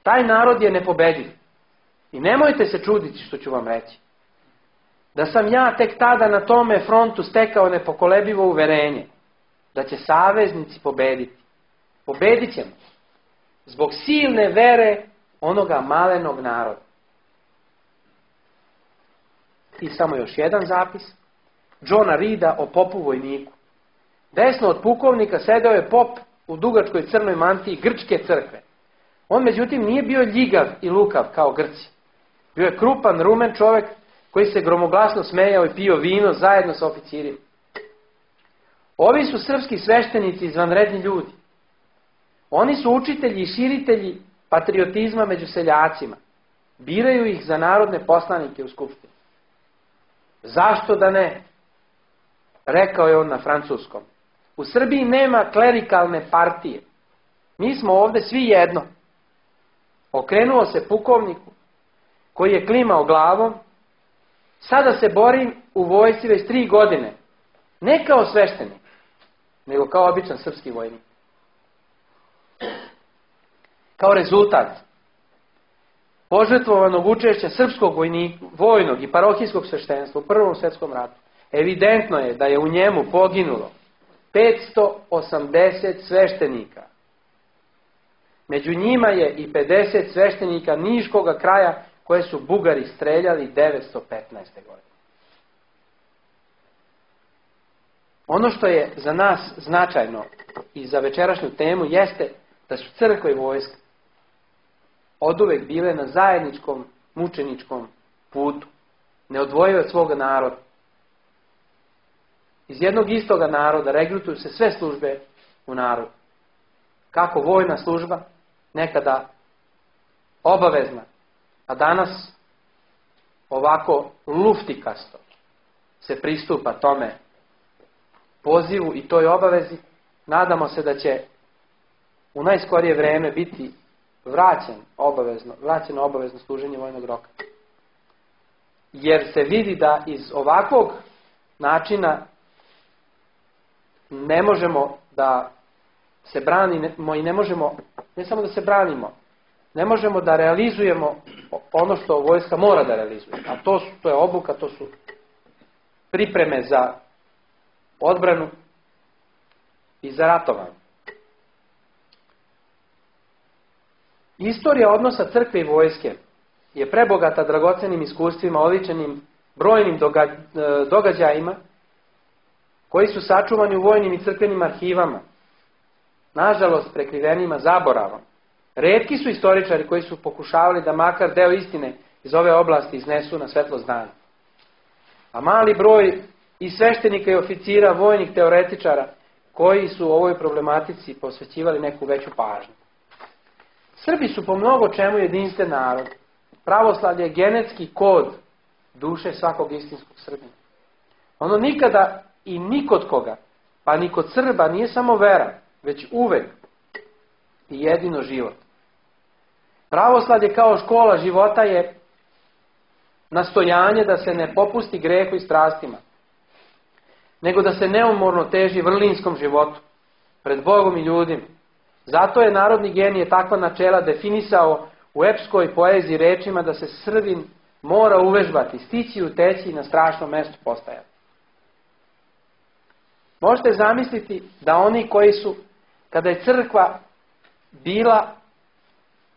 Taj narod je nepobediv. I nemojte se čuditi što ću vam reći. Da sam ja tek tada na tome frontu stekao nepokolebivo uverenje da će saveznici pobediti. Pobedit ćemo. Zbog silne vere onoga malenog naroda. I samo još jedan zapis. Johna Reeda o popu vojniku. Desno od pukovnika sedeo je pop u dugačkoj crnoj mantiji grčke crkve. On međutim nije bio ljigav i lukav kao Grci. Bio je krupan, rumen čovjek koji se gromoglasno smejao i pio vino zajedno sa oficirima. Ovi su srpski sveštenici izvanredni ljudi. Oni su učitelji i širitelji patriotizma među seljacima. Biraju ih za narodne poslanike u skupštini. Zašto da ne? Rekao je on na francuskom. U Srbiji nema klerikalne partije. Mi smo ovdje svi jedno. Okrenuo se pukovniku, koji je klimao glavom. Sada se borim u vojsci već 3 godine. Ne kao sveštenik, nego kao običan srpski vojnik. Kao rezultat požrtvovanog učešća srpskog vojnog i parohijskog sveštenstva u Prvom svjetskom ratu, evidentno je da je u njemu poginulo 580 sveštenika. Među njima je i 50 sveštenika niškoga kraja koje su Bugari streljali 915. godine. Ono što je za nas značajno i za večerašnju temu jeste da su crkva i vojska oduvek bile na zajedničkom mučeničkom putu, neodvojive od svoga naroda. Iz jednog istoga naroda regrutuju se sve službe u narodu. Kako vojna služba, nekada obavezna, a danas ovako luftikasto se pristupa tome pozivu i toj obavezi. Nadamo se da će u najskorije vrijeme biti vraćeno obavezno služenje vojnog roka. Jer se vidi da iz ovakvog načina ne možemo da se branimo i ne možemo, ne samo da se branimo, ne možemo da realizujemo ono što vojska mora da realizuje. A to je obuka, to su pripreme za odbranu i za ratovanje. Istorija odnosa crkve i vojske je prebogata dragocenim iskustvima oličenim brojnim događajima koji su sačuvani u vojnim i crkvenim arhivama, nažalost prekrivenima zaboravom. Retki su istoričari koji su pokušavali da makar deo istine iz ove oblasti iznesu na svetlost dana. A mali broj i sveštenika i oficira, vojnih teoretičara koji su ovoj problematici posvećivali neku veću pažnju. Srbi su po mnogo čemu jedinstven narod. Pravoslavlje je genetski kod duše svakog istinskog Srbina. Ono nikada i ni kod koga, pa ni kod Srba, nije samo vera, već uvek i jedino život. Pravoslavlje kao škola života je nastojanje da se ne popusti grehu i strastima, nego da se neumorno teži vrlinskom životu pred Bogom i ljudima. Zato je narodni genije takva načela definisao u epskoj poeziji rečima da se Srbin mora uvežbati, stići u teći i na strašnom mestu postajati. Možete zamisliti da oni koji su, kada je crkva bila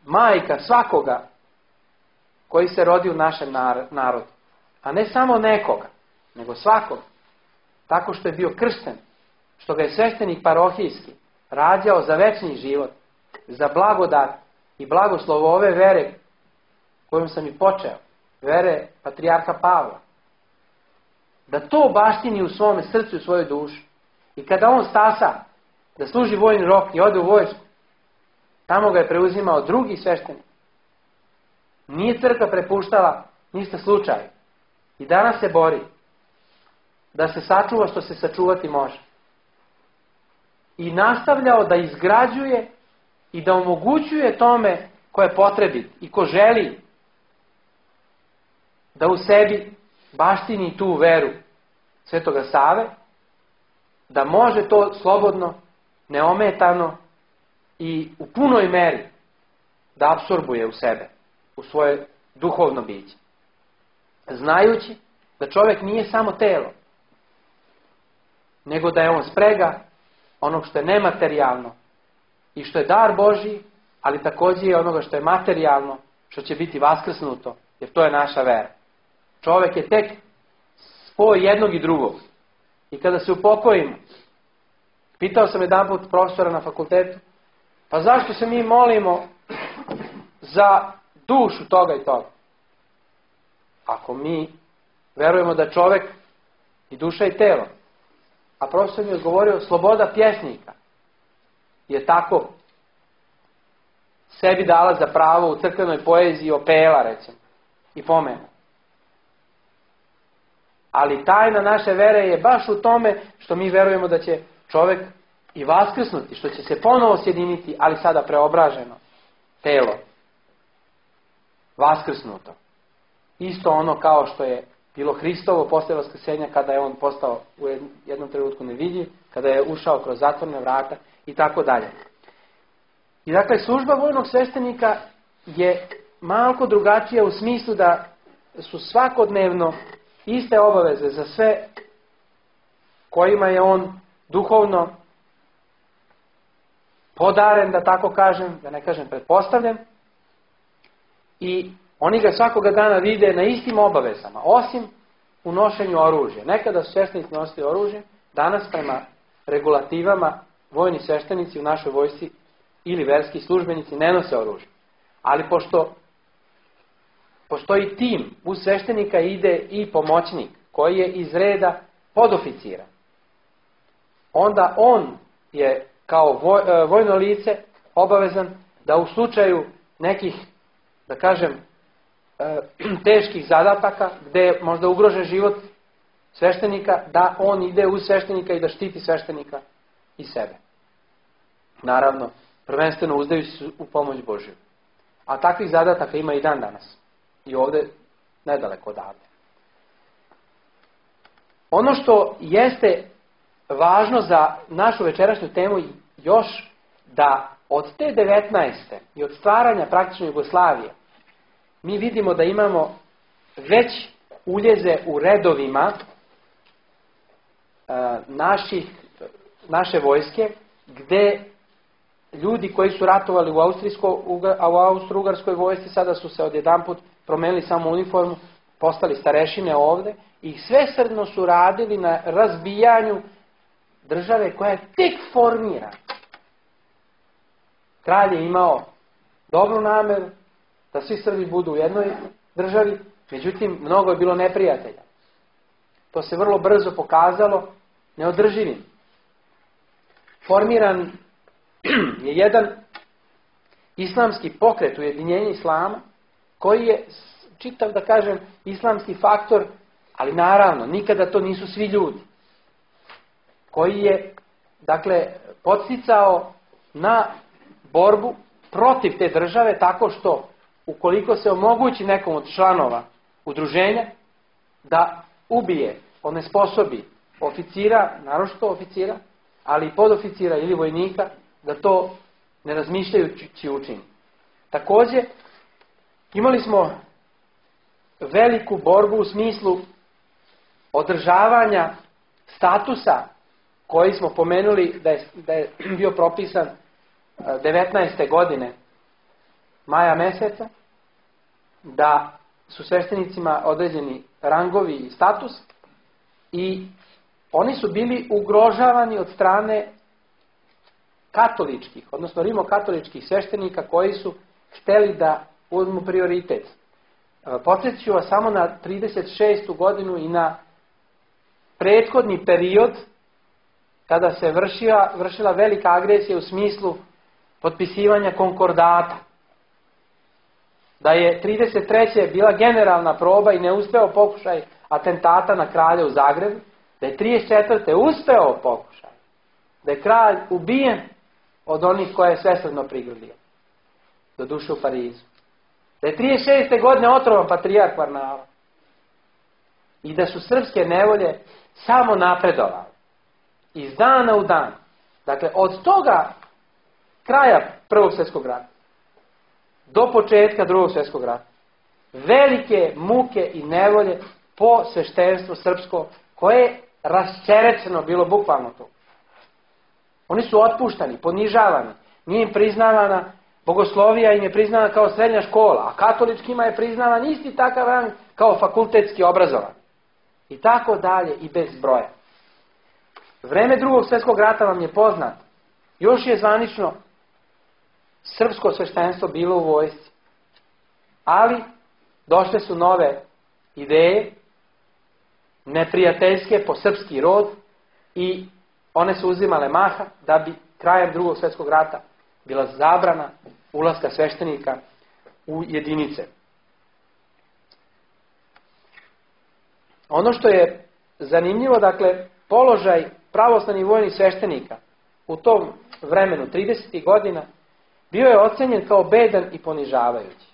majka svakoga koji se rodi u našem narodu, a ne samo nekoga, nego svakoga, tako što je bio kršten, što ga je sveštenik parohijski rađao za večni život, za blagodat i blagoslovo ove vere kojom sam i počeo, vere patrijarha Pavla, da to baštini u svome srcu i u svojoj duši. I kada on stasa da služi vojni rok i ode u vojsku, tamo ga je preuzimao drugi sveštenik. Nije crkva prepuštala ništa slučaju. I danas se bori da se sačuva što se sačuvati može. I nastavljao da izgrađuje i da omogućuje tome ko je potrebit i ko želi da u sebi baštini tu veru Svetoga Save, da može to slobodno, neometano i u punoj meri da apsorbuje u sebe, u svoje duhovno biće. Znajući da čovjek nije samo telo, nego da je on sprega onog što je nematerijalno i što je dar Božji, ali također i onoga što je materijalno, što će biti vaskrsnuto, jer to je naša vera. Čovjek je tek spoj jednog i drugog. I kada se upokojimo, pitao sam jedanput profesora na fakultetu, pa zašto se mi molimo za dušu toga i toga? Ako mi verujemo da čovjek i duša i telo. A profesor mi je odgovorio, sloboda pjesnika je tako sebi dala za pravo u crkvenoj poeziji opela, recimo, i pomena. Ali tajna naše vere je baš u tome što mi verujemo da će čovjek i vaskrsnuti, što će se ponovo sjediniti, ali sada preobraženo telo, vaskrsnuto. Isto ono kao što je bilo Hristovo posle vaskrsenja, kada je on postao u jednom trenutku nevidljiv, kada je ušao kroz zatvorne vrata i tako dalje. I dakle, služba vojnog sveštenika je malko drugačija u smislu da su svakodnevno iste obaveze za sve kojima je on duhovno podaren, da tako kažem, da ne kažem pretpostavljen, i oni ga svakoga dana vide na istim obavezama, osim u nošenju oružja. Nekada su sveštenici nosili oružje, danas prema regulativama vojni sveštenici u našoj vojsci ili verski službenici ne nose oružje. Ali pošto postoji tim, uz sveštenika ide i pomoćnik koji je iz reda podoficira, onda on je kao vojno lice obavezan da u slučaju nekih, da kažem, teških zadataka, gdje je možda ugrožen život sveštenika, da on ide uz sveštenika i da štiti sveštenika i sebe. Naravno, prvenstveno uzdajući se u pomoć Božju. A takvih zadataka ima i dan danas. I ovdje nedaleko odavde. Ono što jeste važno za našu večerašnju temu još, da od te 19. i od stvaranja praktično Jugoslavije mi vidimo da imamo već uljeze u redovima naše vojske, gdje ljudi koji su ratovali u Austro-Ugarskoj vojsci sada su se odjedanput promenili samo uniformu, postali starešine ovdje i svesrdno su radili na razbijanju države koja je tek formirana. Kralj je imao dobru nameru da svi Srbi budu u jednoj državi, međutim mnogo je bilo neprijatelja. To se vrlo brzo pokazalo neodrživim. Formiran je jedan islamski pokret, ujedinjenje islama, koji je čitav, da kažem, islamski faktor, ali naravno, nikada to nisu svi ljudi. Koji je, dakle, podsticao na borbu protiv te države tako što, ukoliko se omogući nekom od članova udruženja da ubije, onesposobi oficira, naročito oficira, ali i podoficira ili vojnika, da to ne razmišljajući učini. Također, imali smo veliku borbu u smislu održavanja statusa koji smo pomenuli da je bio propisan 19. godine maja meseca, da su sveštenicima određeni rangovi i status i oni su bili ugrožavani od strane katoličkih, odnosno rimokatoličkih sveštenika koji su htjeli da uzmu prioritet. Podsjetit ću vas samo na 36. godinu i na prethodni period kada se vršila velika agresija u smislu potpisivanja konkordata. Da je 33. bila generalna proba i ne uspeo pokušaj atentata na kralja u Zagrebu, da je 34. uspeo pokušaj, da je kralj ubijen od onih koje je svesrdno prigrlio, do duše u Parizu. Da je 36. godine otrovan patrijarh Varnava. I da su srpske nevolje samo napredovale. Iz dana u dan. Dakle, od toga kraja Prvog svjetskog rata do početka Drugog svjetskog rata. Velike muke i nevolje po sveštenstvu srpsko, koje je rasčerečeno bilo bukvalno to. Oni su otpuštani, ponižavani, nije im priznavana bogoslovija, im je priznavana kao srednja škola, a katoličkima je priznavan isti takav rang kao fakultetski obrazovan. I tako dalje i bez broja. Vreme Drugog svjetskog rata vam je poznato. Još je zvanično srpsko sveštenstvo bilo u vojsci. Ali došle su nove ideje, neprijateljske po srpski rod, i one su uzimale maha da bi krajem Drugog svjetskog rata bila zabrana ulaska sveštenika u jedinice. Ono što je zanimljivo, dakle, položaj pravoslavnih vojnih sveštenika u tom vremenu, 30. godina, bio je ocenjen kao bedan i ponižavajući.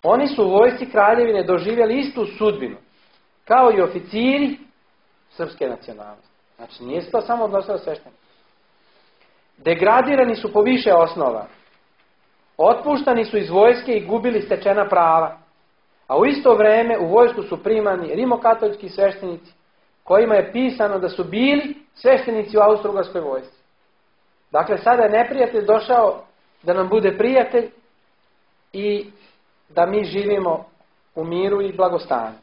Oni su u vojsci kraljevine doživjeli istu sudbinu, kao i oficiri srpske nacionalnosti. Znači, nije se to samo odnosilo sveštenika. Degradirani su po više osnova. Otpuštani su iz vojske i gubili stečena prava. A u isto vrijeme u vojsku su primani rimokatolički sveštenici, kojima je pisano da su bili sveštenici u Austro-Ugarskoj vojsci. Dakle, sada je neprijatelj došao da nam bude prijatelj i da mi živimo u miru i blagostanju.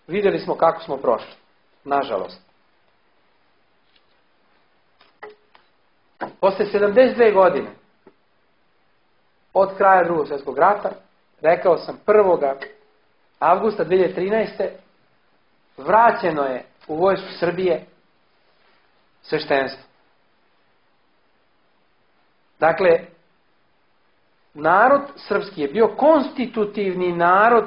Vidjeli smo kako smo prošli, nažalost. Posle 72 godine od kraja Drugog svjetskog rata, rekao sam 1. avgusta 2013. vraćeno je u vojsku Srbije sveštenstvo. Dakle, narod srpski je bio konstitutivni narod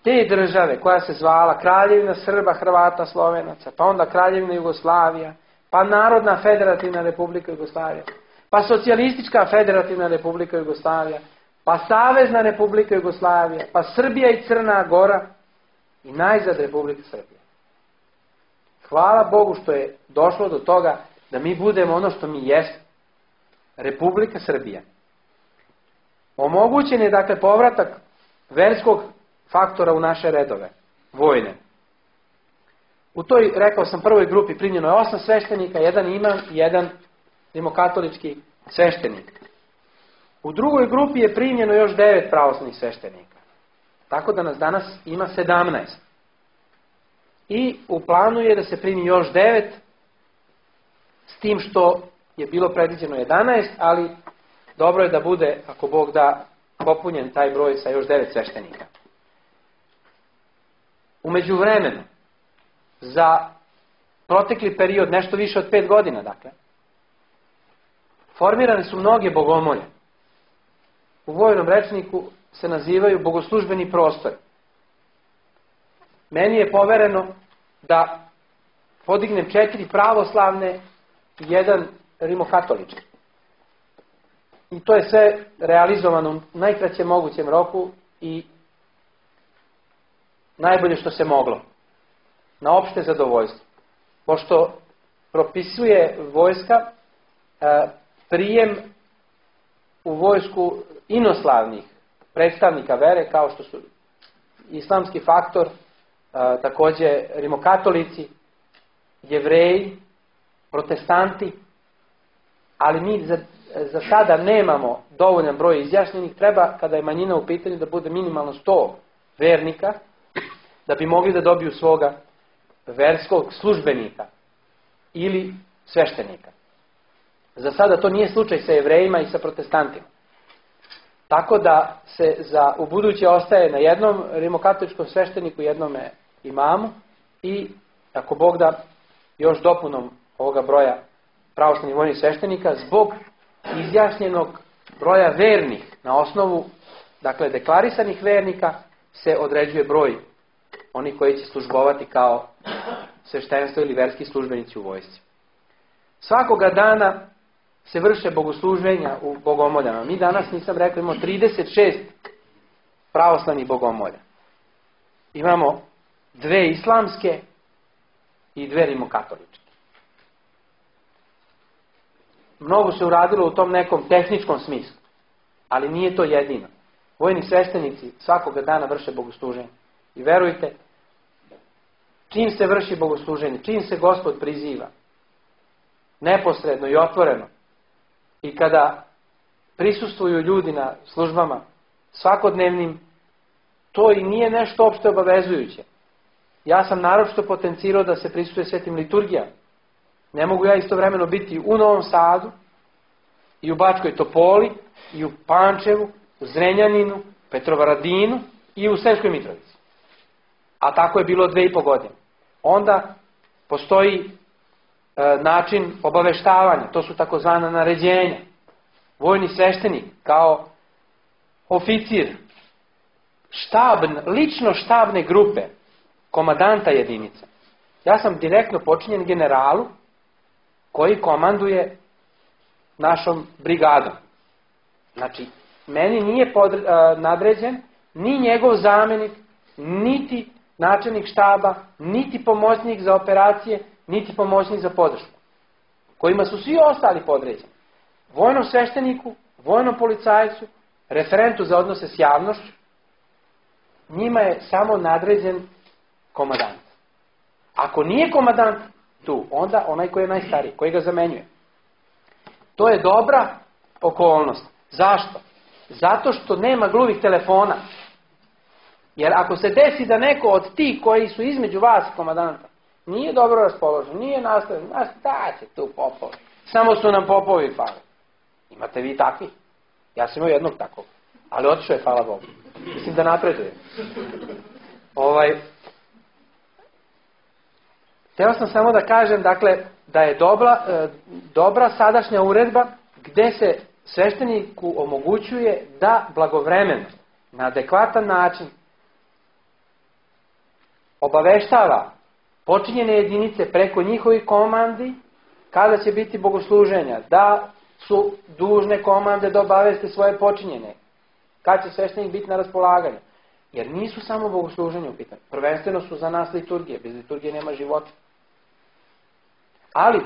te države koja se zvala Kraljevina Srba, Hrvata, Slovenaca, pa onda Kraljevina Jugoslavija, pa Narodna federativna Republika Jugoslavija, pa Socijalistička federativna Republika Jugoslavija, pa Savezna Republika Jugoslavija, pa Srbija i Crna Gora i najzad Republika Srbija. Hvala Bogu što je došlo do toga da mi budemo ono što mi jesmo. Republika Srbija. Omogućen je, dakle, povratak verskog faktora u naše redove, vojne. U toj, rekao sam, prvoj grupi primljeno je 8 sveštenika, 1 imam i 1 rimokatolički sveštenik. U drugoj grupi je primljeno još 9 pravoslavnih sveštenika. Tako da nas danas ima 17. I u planu je da se primi još 9, s tim što je bilo predviđeno 11, ali dobro je da bude, ako Bog da, popunjen taj broj sa još 9 sveštenika. U međuvremenu, za protekli period, nešto više od 5 godina, dakle, formirane su mnoge bogomolje. U vojnom rečniku se nazivaju bogoslužbeni prostori. Meni je povereno da podignem 4 pravoslavne i 1 rimokatolički. I to je sve realizovano u najkraćem mogućem roku i najbolje što se moglo. Na opšte zadovoljstvo. Pošto propisuje vojska prijem u vojsku inoslavnih predstavnika vere, kao što su islamski faktor, također rimokatolici, jevreji, protestanti, ali mi za sada nemamo dovoljan broj izjašnjenih. Treba, kada je manjina u pitanju, da bude minimalno 100 vernika, da bi mogli da dobiju svoga verskog službenika ili sveštenika. Za sada to nije slučaj sa jevrejima i sa protestantima. Tako da se za ubuduće ostaje na jednom rimokatoličkom svešteniku, jednome imamu i, ako Bog da, još dopunom ovoga broja pravoslavnih vojnih sveštenika zbog izjašnjenog broja vernih. Na osnovu, dakle, deklarisanih vernika se određuje broj oni koji će službovati kao sveštenstvo ili verski službenici u vojsci. Svakoga dana se vrše bogosluženja u bogomoljama. Mi danas, nisam rekao, imamo 36 pravoslavnih bogomolja. Imamo 2 islamske i 2 rimokatoličke. Mnogo se uradilo u tom nekom tehničkom smislu, ali nije to jedino. Vojni sveštenici svakoga dana vrše bogosluženje. I verujte, čim se vrši bogosluženje, čim se Gospod priziva, neposredno i otvoreno, i kada prisustvuju ljudi na službama svakodnevnim, to i nije nešto opšte obavezujuće. Ja sam naročito potencirao da se prisustvuje svetim liturgijama. Ne mogu ja istovremeno biti u Novom Sadu, i u Bačkoj Topoli, i u Pančevu, u Zrenjaninu, Petrovaradinu i u Sremskoj Mitrovici. A tako je bilo 2,5 godine. Onda postoji način obaveštavanja, to su takozvana naređenja. Vojni sveštenik kao oficir, lično štabne grupe, komadanta jedinica. Ja sam direktno počinjen generalu koji komanduje našom brigadom. Znači, meni nije nadređen ni njegov zamenik, niti načelnik štaba, niti pomoćnik za operacije, niti pomoćnik za podršku, kojima su svi ostali podređeni. Vojnom svešteniku, vojnom policajcu, referentu za odnose s javnošću, njima je samo nadređen komadant. Ako nije komadant tu, onda onaj koji je najstariji, koji ga zamenjuje. To je dobra okolnost. Zašto? Zato što nema gluvih telefona. Jer ako se desi da neko od tih koji su između vas i komadanta nije dobro raspoložen, nije nastavljen, znaš, da će tu popovi. Samo su nam popovi fali. Imate vi takvi? Ja sam imao jednog takvog. Ali otišao je, hvala Bogu. Mislim da napreduje. Hteo sam samo da kažem, dakle, da je dobra sadašnja uredba gde se svešteniku omogućuje da blagovremeno, na adekvatan način, obaveštava počinjene jedinice preko njihovih komandi kada će biti bogosluženja, da su dužne komande da obaveste svoje počinjene, kad će sveštenik biti na raspolaganju. Jer nisu samo bogosluženje u pitanju. Prvenstveno su za nas liturgije. Bez liturgije nema života. Ali,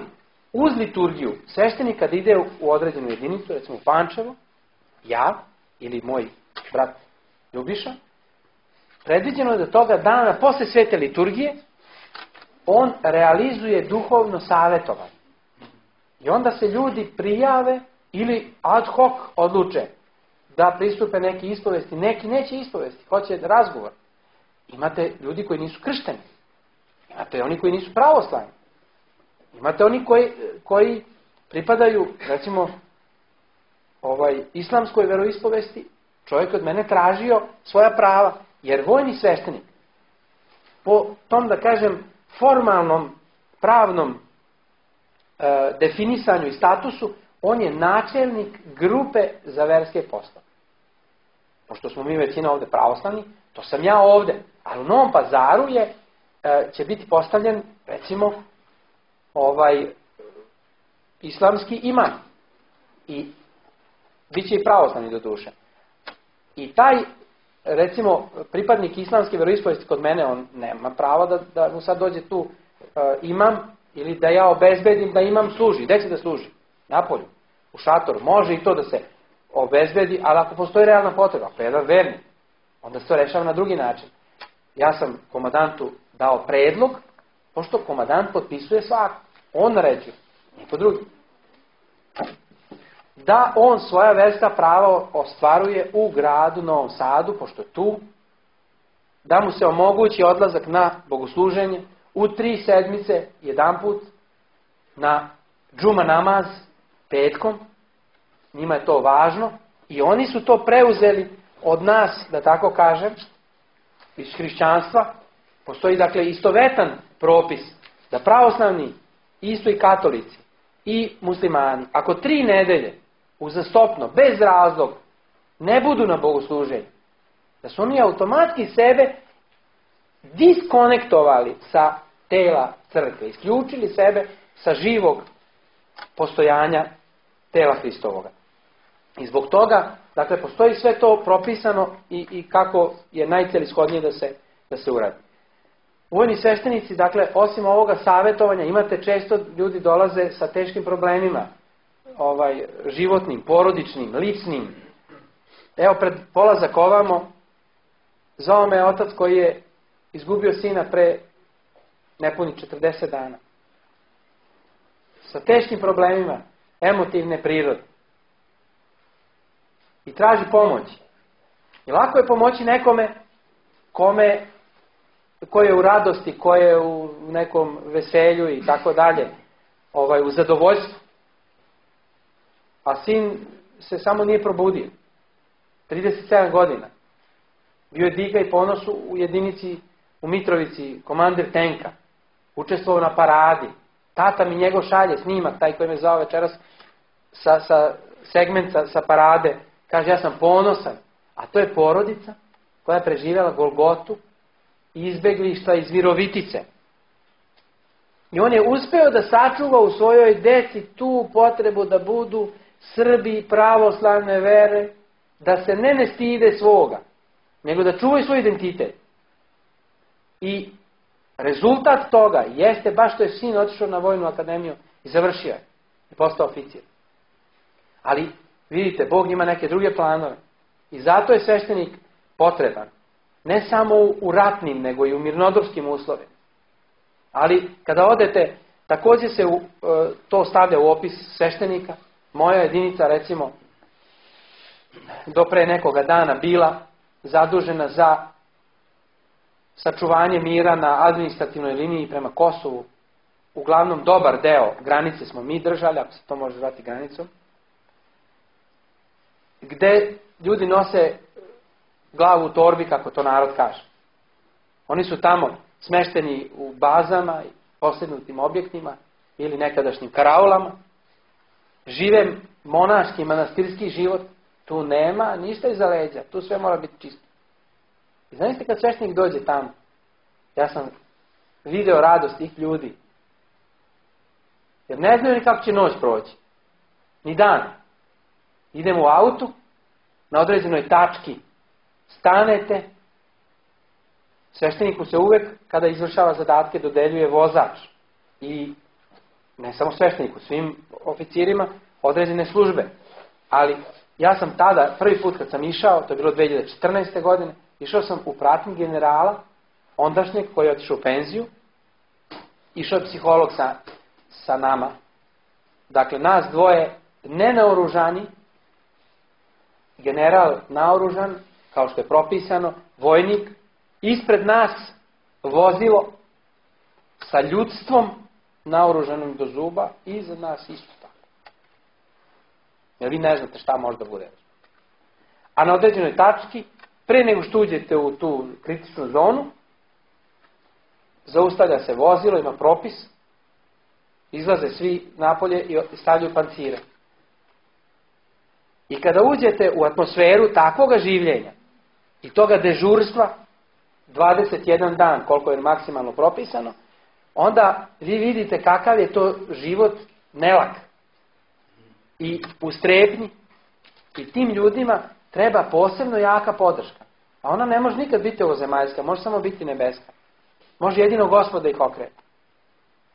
uz liturgiju, sveštenik kad ide u određenu jedinicu, recimo u Pančevo, ja ili moj brat Ljubiša, predviđeno je da toga dana, posle svete liturgije, on realizuje duhovno savjetovanje. I onda se ljudi prijave ili ad hoc odluče da pristupe neki ispovesti. Neki neće ispovesti, hoće razgovor. Imate ljudi koji nisu kršteni. Imate oni koji nisu pravoslavni. Imate oni koji pripadaju, recimo, islamskoj veroispovesti. Čovjek od mene tražio svoja prava, jer vojni sveštenik, po tom, da kažem, formalnom, pravnom definisanju i statusu, on je načelnik grupe za verske poslove. Pošto smo mi većina ovde pravoslavni, to sam ja ovde. Ali u Novom Pazaru će biti postavljen, recimo, islamski imam. I bit će i pravoslavni do duše. I taj, recimo, pripadnik islamske veroispovesti kod mene, on nema prava da mu sad dođe tu imam, ili da ja obezbedim da imam služi. Gde će da služi? Napolju. U šatoru. Može i to da se obezbedi, ali ako postoji realna potreba, ako je jedan vernik, onda se to rešava na drugi način. Ja sam komadantu dao predlog, pošto komadant potpisuje svako. On naređuje, niko drugi. Da on svoja verska prava ostvaruje u gradu Novom Sadu, pošto je tu, da mu se omogući odlazak na bogosluženje u 3 sedmice, jedanput, na džuma namaz, petkom. Njima je to važno i oni su to preuzeli od nas, da tako kažem, iz hrišćanstva. Postoji, dakle, istovetan propis da pravoslavni, isto i katolici i muslimani, ako 3 nedelje uzastopno, bez razloga, ne budu na bogosluženju, da su oni automatski sebe diskonektovali sa tela crkve, isključili sebe sa živog postojanja tela Hristovoga. I zbog toga, dakle, postoji sve to propisano i kako je najcelishodnije da se uradi. Vojni sveštenici, dakle, osim ovoga savjetovanja, imate često ljudi dolaze sa teškim problemima, životnim, porodičnim, ličnim, Evo pred polazak ovamo, zvao me otac koji je izgubio sina pre nepuni 40 dana. Sa teškim problemima emotivne prirode. I traži pomoć. I lako je pomoći nekome ko je u radosti, ko je u nekom veselju i tako dalje, u zadovoljstvu. A sin se samo nije probudio. 37 godina. Bio je diga i ponos u jedinici u Mitrovici, komandir tenka. Učestvovao na paradi. Tata mi njegov šalje snimak, taj koji me zvao večeras, sa segmenta, sa parade. Kaže, ja sam ponosan. A to je porodica koja je preživjela Golgotu i izbeglišta iz Virovitice. I on je uspeo da sačuva u svojoj deci tu potrebu da budu Srbi pravoslavne vere, da se ne stide svoga, nego da čuvaju svoj identitet. I rezultat toga jeste baš što je sin otišao na vojnu akademiju i završio je. I postao oficir. Ali, vidite, Bog ima neke druge planove. I zato je sveštenik potreban. Ne samo u ratnim, nego i u mirnodopskim uslovima. Ali, kada odete, također se to stavlja u opis sveštenika. Moja jedinica, recimo, do pre nekoga dana bila zadužena za sačuvanje mira na administrativnoj liniji prema Kosovu. Uglavnom, dobar deo granice smo mi držali, ako se to može zvati granicom, gde ljudi nose glavu u torbi, kako to narod kaže. Oni su tamo smešteni u bazama i posebnutim objektima ili nekadašnjim karaulama. Žive monaški, manastirski život. Tu nema ništa iza leđa. Tu sve mora biti čisto. I znaite kad sveštenik dođe tamo, ja sam video radost tih ljudi. Jer ne znaju ni kako će noć proći. Ni dan. Idemo u autu, na određenoj tački stanete. Svešteniku se uvek, kada izvršava zadatke, dodeljuje vozač. I ne samo svešteniku, svim oficirima određene službe. Ali ja sam tada, prvi put kad sam išao, to je bilo 2014. godine, išao sam u pratnji generala, ondašnjeg koji je otišao u penziju. Išao je psiholog sa nama. Dakle, nas dvoje nenaoružani, general naoružan, kao što je propisano, vojnik, ispred nas vozilo sa ljudstvom naoružanom do zuba i iza nas isto tako. Jer vi ne znate šta može da bude. A na određenoj tački, pre nego što uđete u tu kritičnu zonu, zaustavlja se vozilo, ima propis, izlaze svi napolje i stavljaju pancire. I kada uđete u atmosferu takvoga življenja i toga dežurstva, 21 dan, koliko je maksimalno propisano, onda vi vidite kakav je to život nelak. I u strepnji. I tim ljudima treba posebno jaka podrška. A ona ne može nikad biti ovozemaljska, može samo biti nebeska. Može jedino Gospod da ih okrene.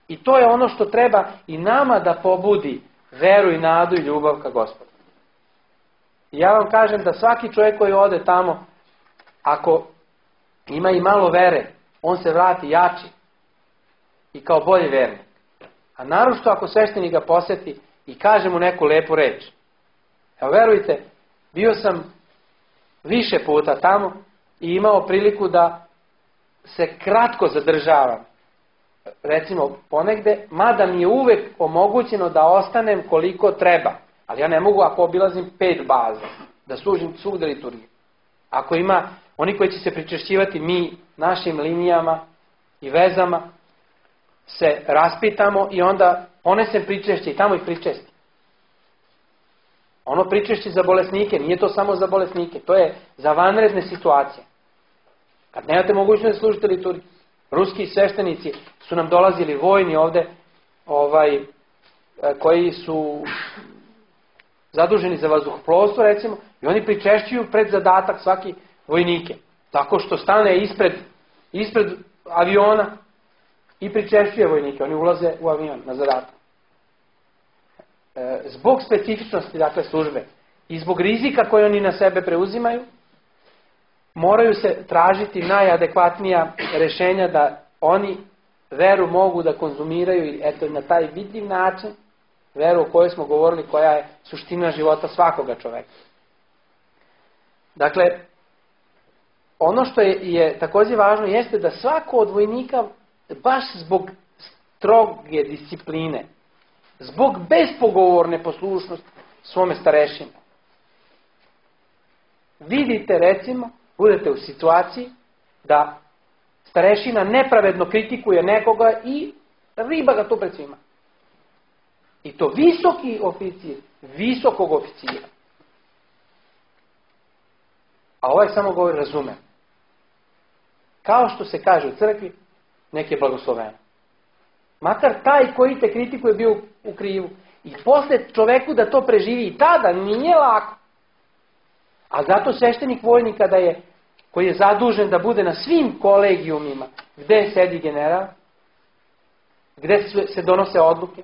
I to je ono što treba i nama da pobudi veru i nadu i ljubav ka Gospodu. I ja vam kažem da svaki čovjek koji ode tamo, ako ima i malo vere, on se vrati jači i kao bolji vernik. A naročito ako sveštenik ga posjeti i kaže mu neku lepu reč. Evo verujte, bio sam više puta tamo i imao priliku da se kratko zadržavam. Recimo ponegde, mada mi je uvek omogućeno da ostanem koliko treba. Ali ja ne mogu ako obilazim 5 baza, da služim svugde liturgiju. Ako ima oni koji će se pričešćivati, mi našim linijama i vezama se raspitamo i onda ponesem pričešće i tamo ih pričesti. Ono pričešće za bolesnike, nije to samo za bolesnike, to je za vanredne situacije. Kad nemate mogućnost da služite liturgiju. Ruski sveštenici su nam dolazili vojni ovde, koji su zaduženi za vazduhoplovstvo, recimo, i oni pričešćuju pred zadatak svaki vojnike. Tako što stane ispred aviona i pričešćuje vojnike. Oni ulaze u avion na zadatak. Zbog specifičnosti, dakle, službe, i zbog rizika koje oni na sebe preuzimaju, moraju se tražiti najadekvatnija rješenja da oni veru mogu da konzumiraju i eto na taj vidljiv način, veru o kojoj smo govorili, koja je suština života svakoga čoveka. Dakle, ono što je također važno jeste da svako od vojnika baš zbog stroge discipline, zbog bespogovorne poslušnosti svome starešine. Vidite recimo, budete u situaciji da starešina nepravedno kritikuje nekoga i riba ga to pred svima. I to visoki oficir, visokog oficira. A ovaj samo govori razumem. Kao što se kaže u crkvi, nek je blagosloven. Makar taj koji te kritikuje bio u krivu. I posle čoveku da to preživi i tada nije lako. A zato sveštenik vojnika koji je zadužen da bude na svim kolegijumima gde sedi general, gde se donose odluke,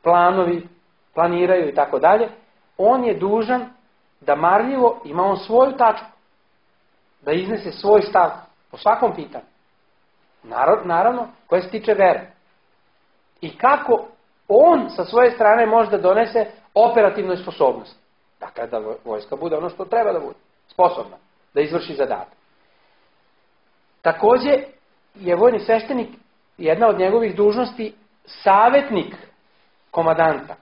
planovi, planiraju i tako dalje, on je dužan da marljivo ima on svoju tačku, da iznese svoj stav po svakom pitanju. Naravno, koje se tiče vere. I kako on sa svoje strane može da donese operativnoj sposobnosti. Dakle, da vojska bude ono što treba da bude. Sposobna da izvrši zadatak. Također je vojni sveštenik, jedna od njegovih dužnosti, savjetnik komadanta.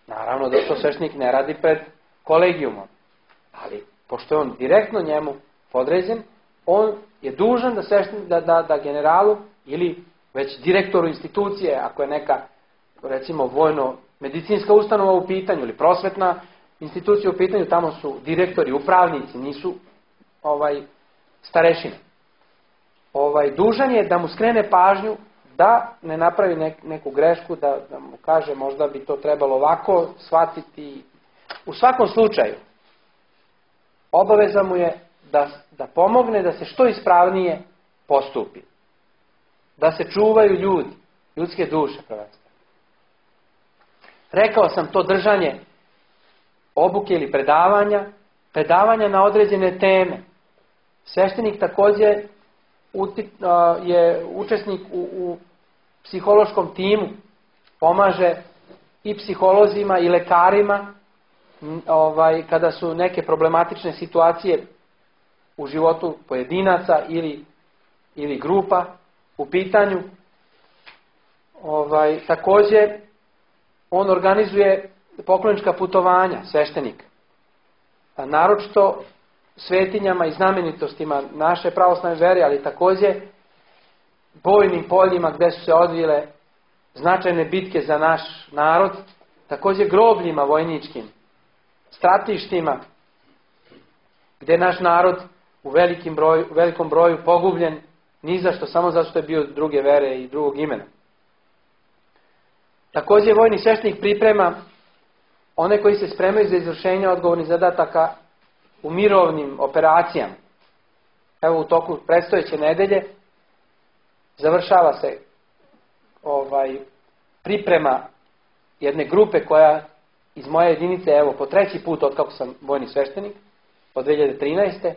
Naravno da to sveštenik ne radi pred kolegijumom. Ali, pošto je on direktno njemu podređen, on je dužan da generalu ili već direktoru institucije, ako je neka, recimo, vojno-medicinska ustanova u pitanju ili prosvetna institucija u pitanju, tamo su direktori, upravnici, nisu starešine. Dužan je da mu skrene pažnju da ne napravi neku grešku, da mu kaže možda bi to trebalo ovako shvatiti. U svakom slučaju, obaveza mu je da pomogne da se što ispravnije postupi. Da se čuvaju ljudi, ljudske duše prvenstveno. Rekao sam to držanje obuke ili predavanja na određene teme. Sveštenik također je učesnik u psihološkom timu, pomaže i psiholozima i lekarima kada su neke problematične situacije u životu pojedinaca ili grupa u pitanju. Također on organizuje poklonička putovanja, sveštenik. Naročito svetinjama i znamenitostima naše pravoslavne vere, ali također bojnim poljima gdje su se odvile značajne bitke za naš narod, također grobljima vojničkim, stratištima gdje naš narod u velikom broju pogubljen ni za što, samo zato što je bio druge vere i drugog imena. Također vojni sveštenik priprema one koji se spremaju za izvršenje odgovornih zadataka u mirovnim operacijama. Evo u toku predstojeće nedelje završava se priprema jedne grupe koja iz moje jedinice, evo po treći put od kako sam vojni sveštenik, od 2013.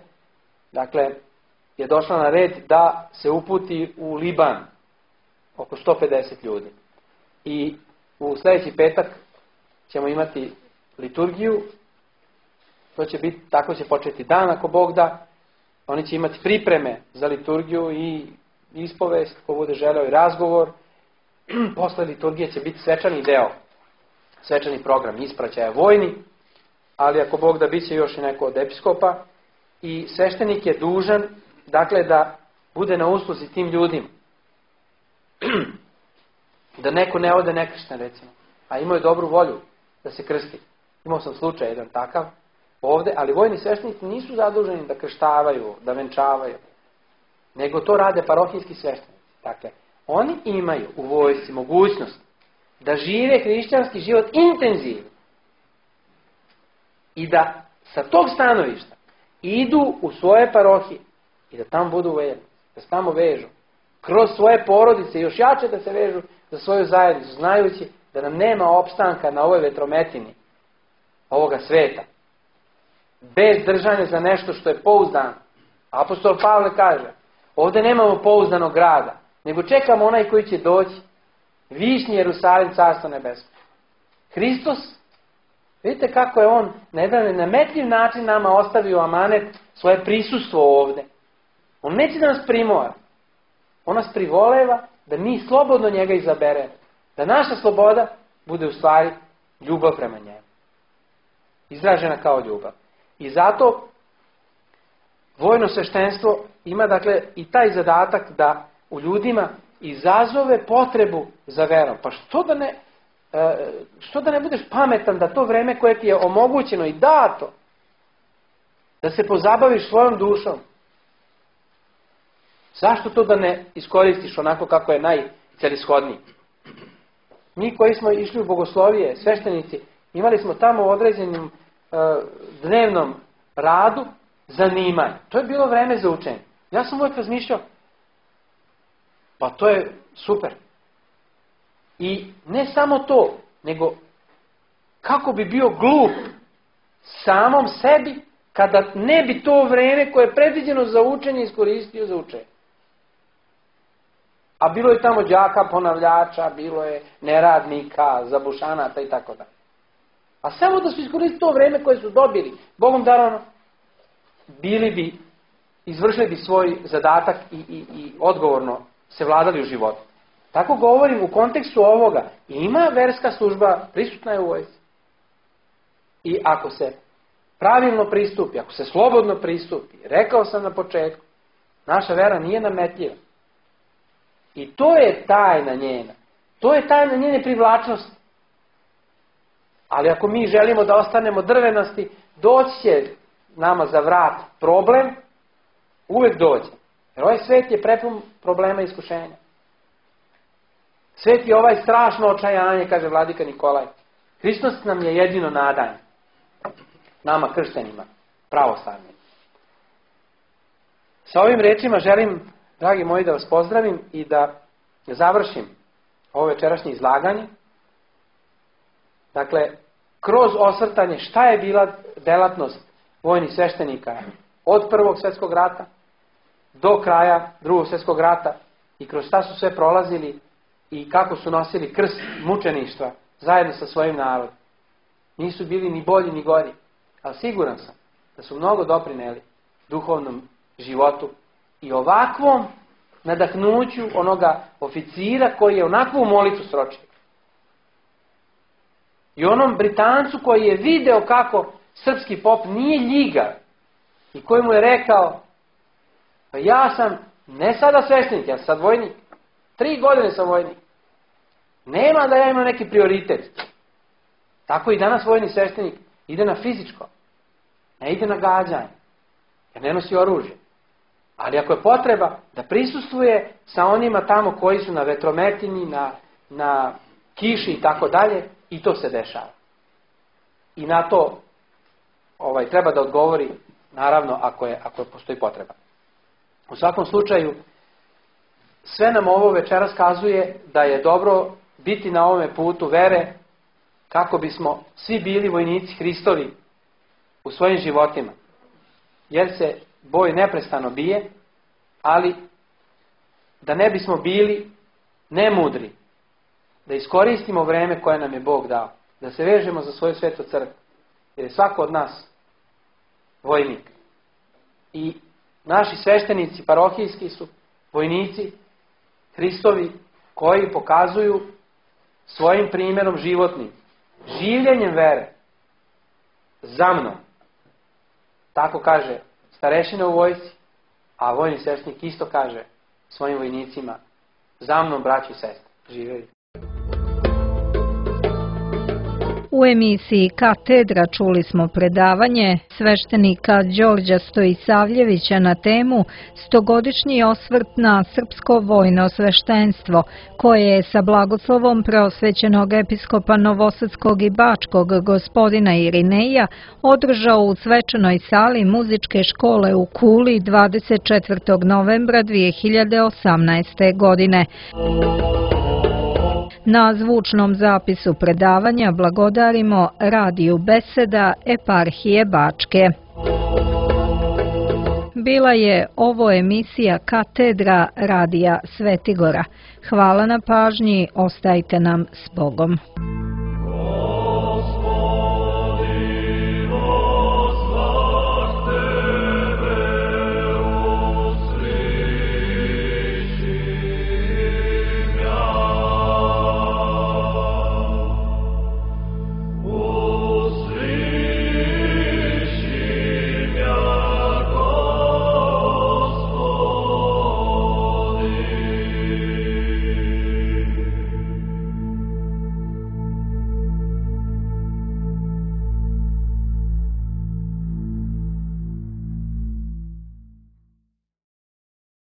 Dakle, je došla na red da se uputi u Liban oko 150 ljudi. I u sljedeći petak ćemo imati liturgiju. To će biti, tako će početi dan ako Bog da. Oni će imati pripreme za liturgiju i ispovest, ko bude želeo, i razgovor. Posle liturgije će biti svečani deo, svečani program ispraćaja vojni, ali ako Bog da bit će još i neko od episkopa. I sveštenik je dužan, dakle, da bude na usluzi tim ljudima. Da neko ne ode nekršten, recimo, a imao je dobru volju da se krsti. Imao sam slučaj jedan takav ovdje, ali vojni sveštenici nisu zaduženi da krštavaju, da venčavaju, nego to rade parohijski sveštenici. Dakle, oni imaju u vojsci mogućnost da žive hrišćanski život intenzivno i da sa tog stanovišta idu u svoje parohije i da tamo budu verni, da se tamo vežu kroz svoje porodice, još jače da se vežu za svoju zajednicu, znajući da nam nema opstanka na ovoj vetrometini ovoga sveta, bez držanja za nešto što je pouzdano. Apostol Pavle kaže, ovdje nemamo pouzdanog grada, nego čekamo onaj koji će doći, višnji Jerusalim, carstvo nebesko. Hristos, vidite kako je on na jedan nametljiv način nama ostavio amanet svoje prisustvo ovdje. On neće da nas primora. On nas privoleva da mi slobodno njega izaberemo. Da naša sloboda bude u stvari ljubav prema njemu. Izražena kao ljubav. I zato vojno sveštenstvo ima dakle i taj zadatak da u ljudima izazove potrebu za verom. Pa što da ne budeš pametan da to vreme koje ti je omogućeno i dato, da se pozabaviš svojom dušom. Zašto to da ne iskoristiš onako kako je najcelishodniji? Mi koji smo išli u bogoslovije, sveštenici, imali smo tamo u određenom dnevnom radu zanimanje. To je bilo vreme za učenje. Ja sam uvijek razmišljao, pa to je super. I ne samo to, nego kako bi bio glup samom sebi kada ne bi to vreme koje je predviđeno za učenje iskoristio za učenje. A bilo je tamo đaka, ponavljača, bilo je neradnika, zabušanata i tako da. A samo da su iskoristili to vreme koje su dobili, Bogom darovano, izvršili bi svoj zadatak i odgovorno se vladali u životu. Tako govorim u kontekstu ovoga. Ima verska služba, prisutna je u vojsci. I ako se pravilno pristupi, ako se slobodno pristupi, rekao sam na početku, naša vera nije nametljiva. I to je tajna njena. To je tajna njene privlačnosti. Ali ako mi želimo da ostanemo drvenasti, doći će nama za vrat problem, uvijek dođe. Jer ovaj svet je prepun problema i iskušenja. Svet je ovaj strašno očajanje, kaže vladika Nikolaj. Hristos nam je jedino nadanje. Nama krštenima, pravoslavnim. Sa ovim rečima želim, dragi moji, da vas pozdravim i da završim ovo večerašnje izlaganje. Dakle, kroz osvrtanje šta je bila delatnost vojnih sveštenika od Prvog svjetskog rata do kraja Drugog svjetskog rata i kroz šta su sve prolazili i kako su nosili krst mučeništva zajedno sa svojim narodom. Nisu bili ni bolji ni gori, ali siguran sam da su mnogo doprineli duhovnom životu i ovakvom nadahnuću onoga oficira koji je onakvu molicu sročio. I onom Britancu koji je video kako srpski pop nije ljigar i koji mu je rekao, pa ja sam ne sada sveštenik, ja sam sad vojnik. 3 godine sam vojnik. Nema da ja imam neki prioritet. Tako i danas vojni sveštenik ide na fizičko. Ne ide na gađanje. Jer ne nosi oružje. Ali ako je potreba da prisustvuje sa onima tamo koji su na vetrometini, na kiši i tako dalje, i to se dešava. I na to treba da odgovori, naravno, ako postoji potreba. U svakom slučaju, sve nam ovo večeras kazuje da je dobro biti na ovome putu vere kako bismo svi bili vojnici Hristovi u svojim životima. Jer se boj neprestano bije, ali da ne bismo bili nemudri, da iskoristimo vreme koje nam je Bog dao, da se vežemo za svoju svetu crkvu, jer je svako od nas vojnik. I naši sveštenici parohijski su vojnici Hristovi koji pokazuju svojim primjerom životnim, življenjem vere, za mnom. Tako kaže starešina u vojsci, a vojni sveštenik isto kaže svojim vojnicima, za mnom, braći i sestre, živjeli. U emisiji Katedra čuli smo predavanje sveštenika Đorđa Stojisavljevića na temu 100-godišnji osvrt na srpsko vojno sveštenstvo, koje je sa blagoslovom preosvećenog episkopa Novosadskog i Bačkog gospodina Irineja održao u svečanoj sali muzičke škole u Kuli 24. novembra 2018. godine. Na zvučnom zapisu predavanja blagodarimo Radiju Beseda Eparhije Bačke. Bila je ovo emisija Katedra Radija Svetigora. Hvala na pažnji, ostajte nam s Bogom.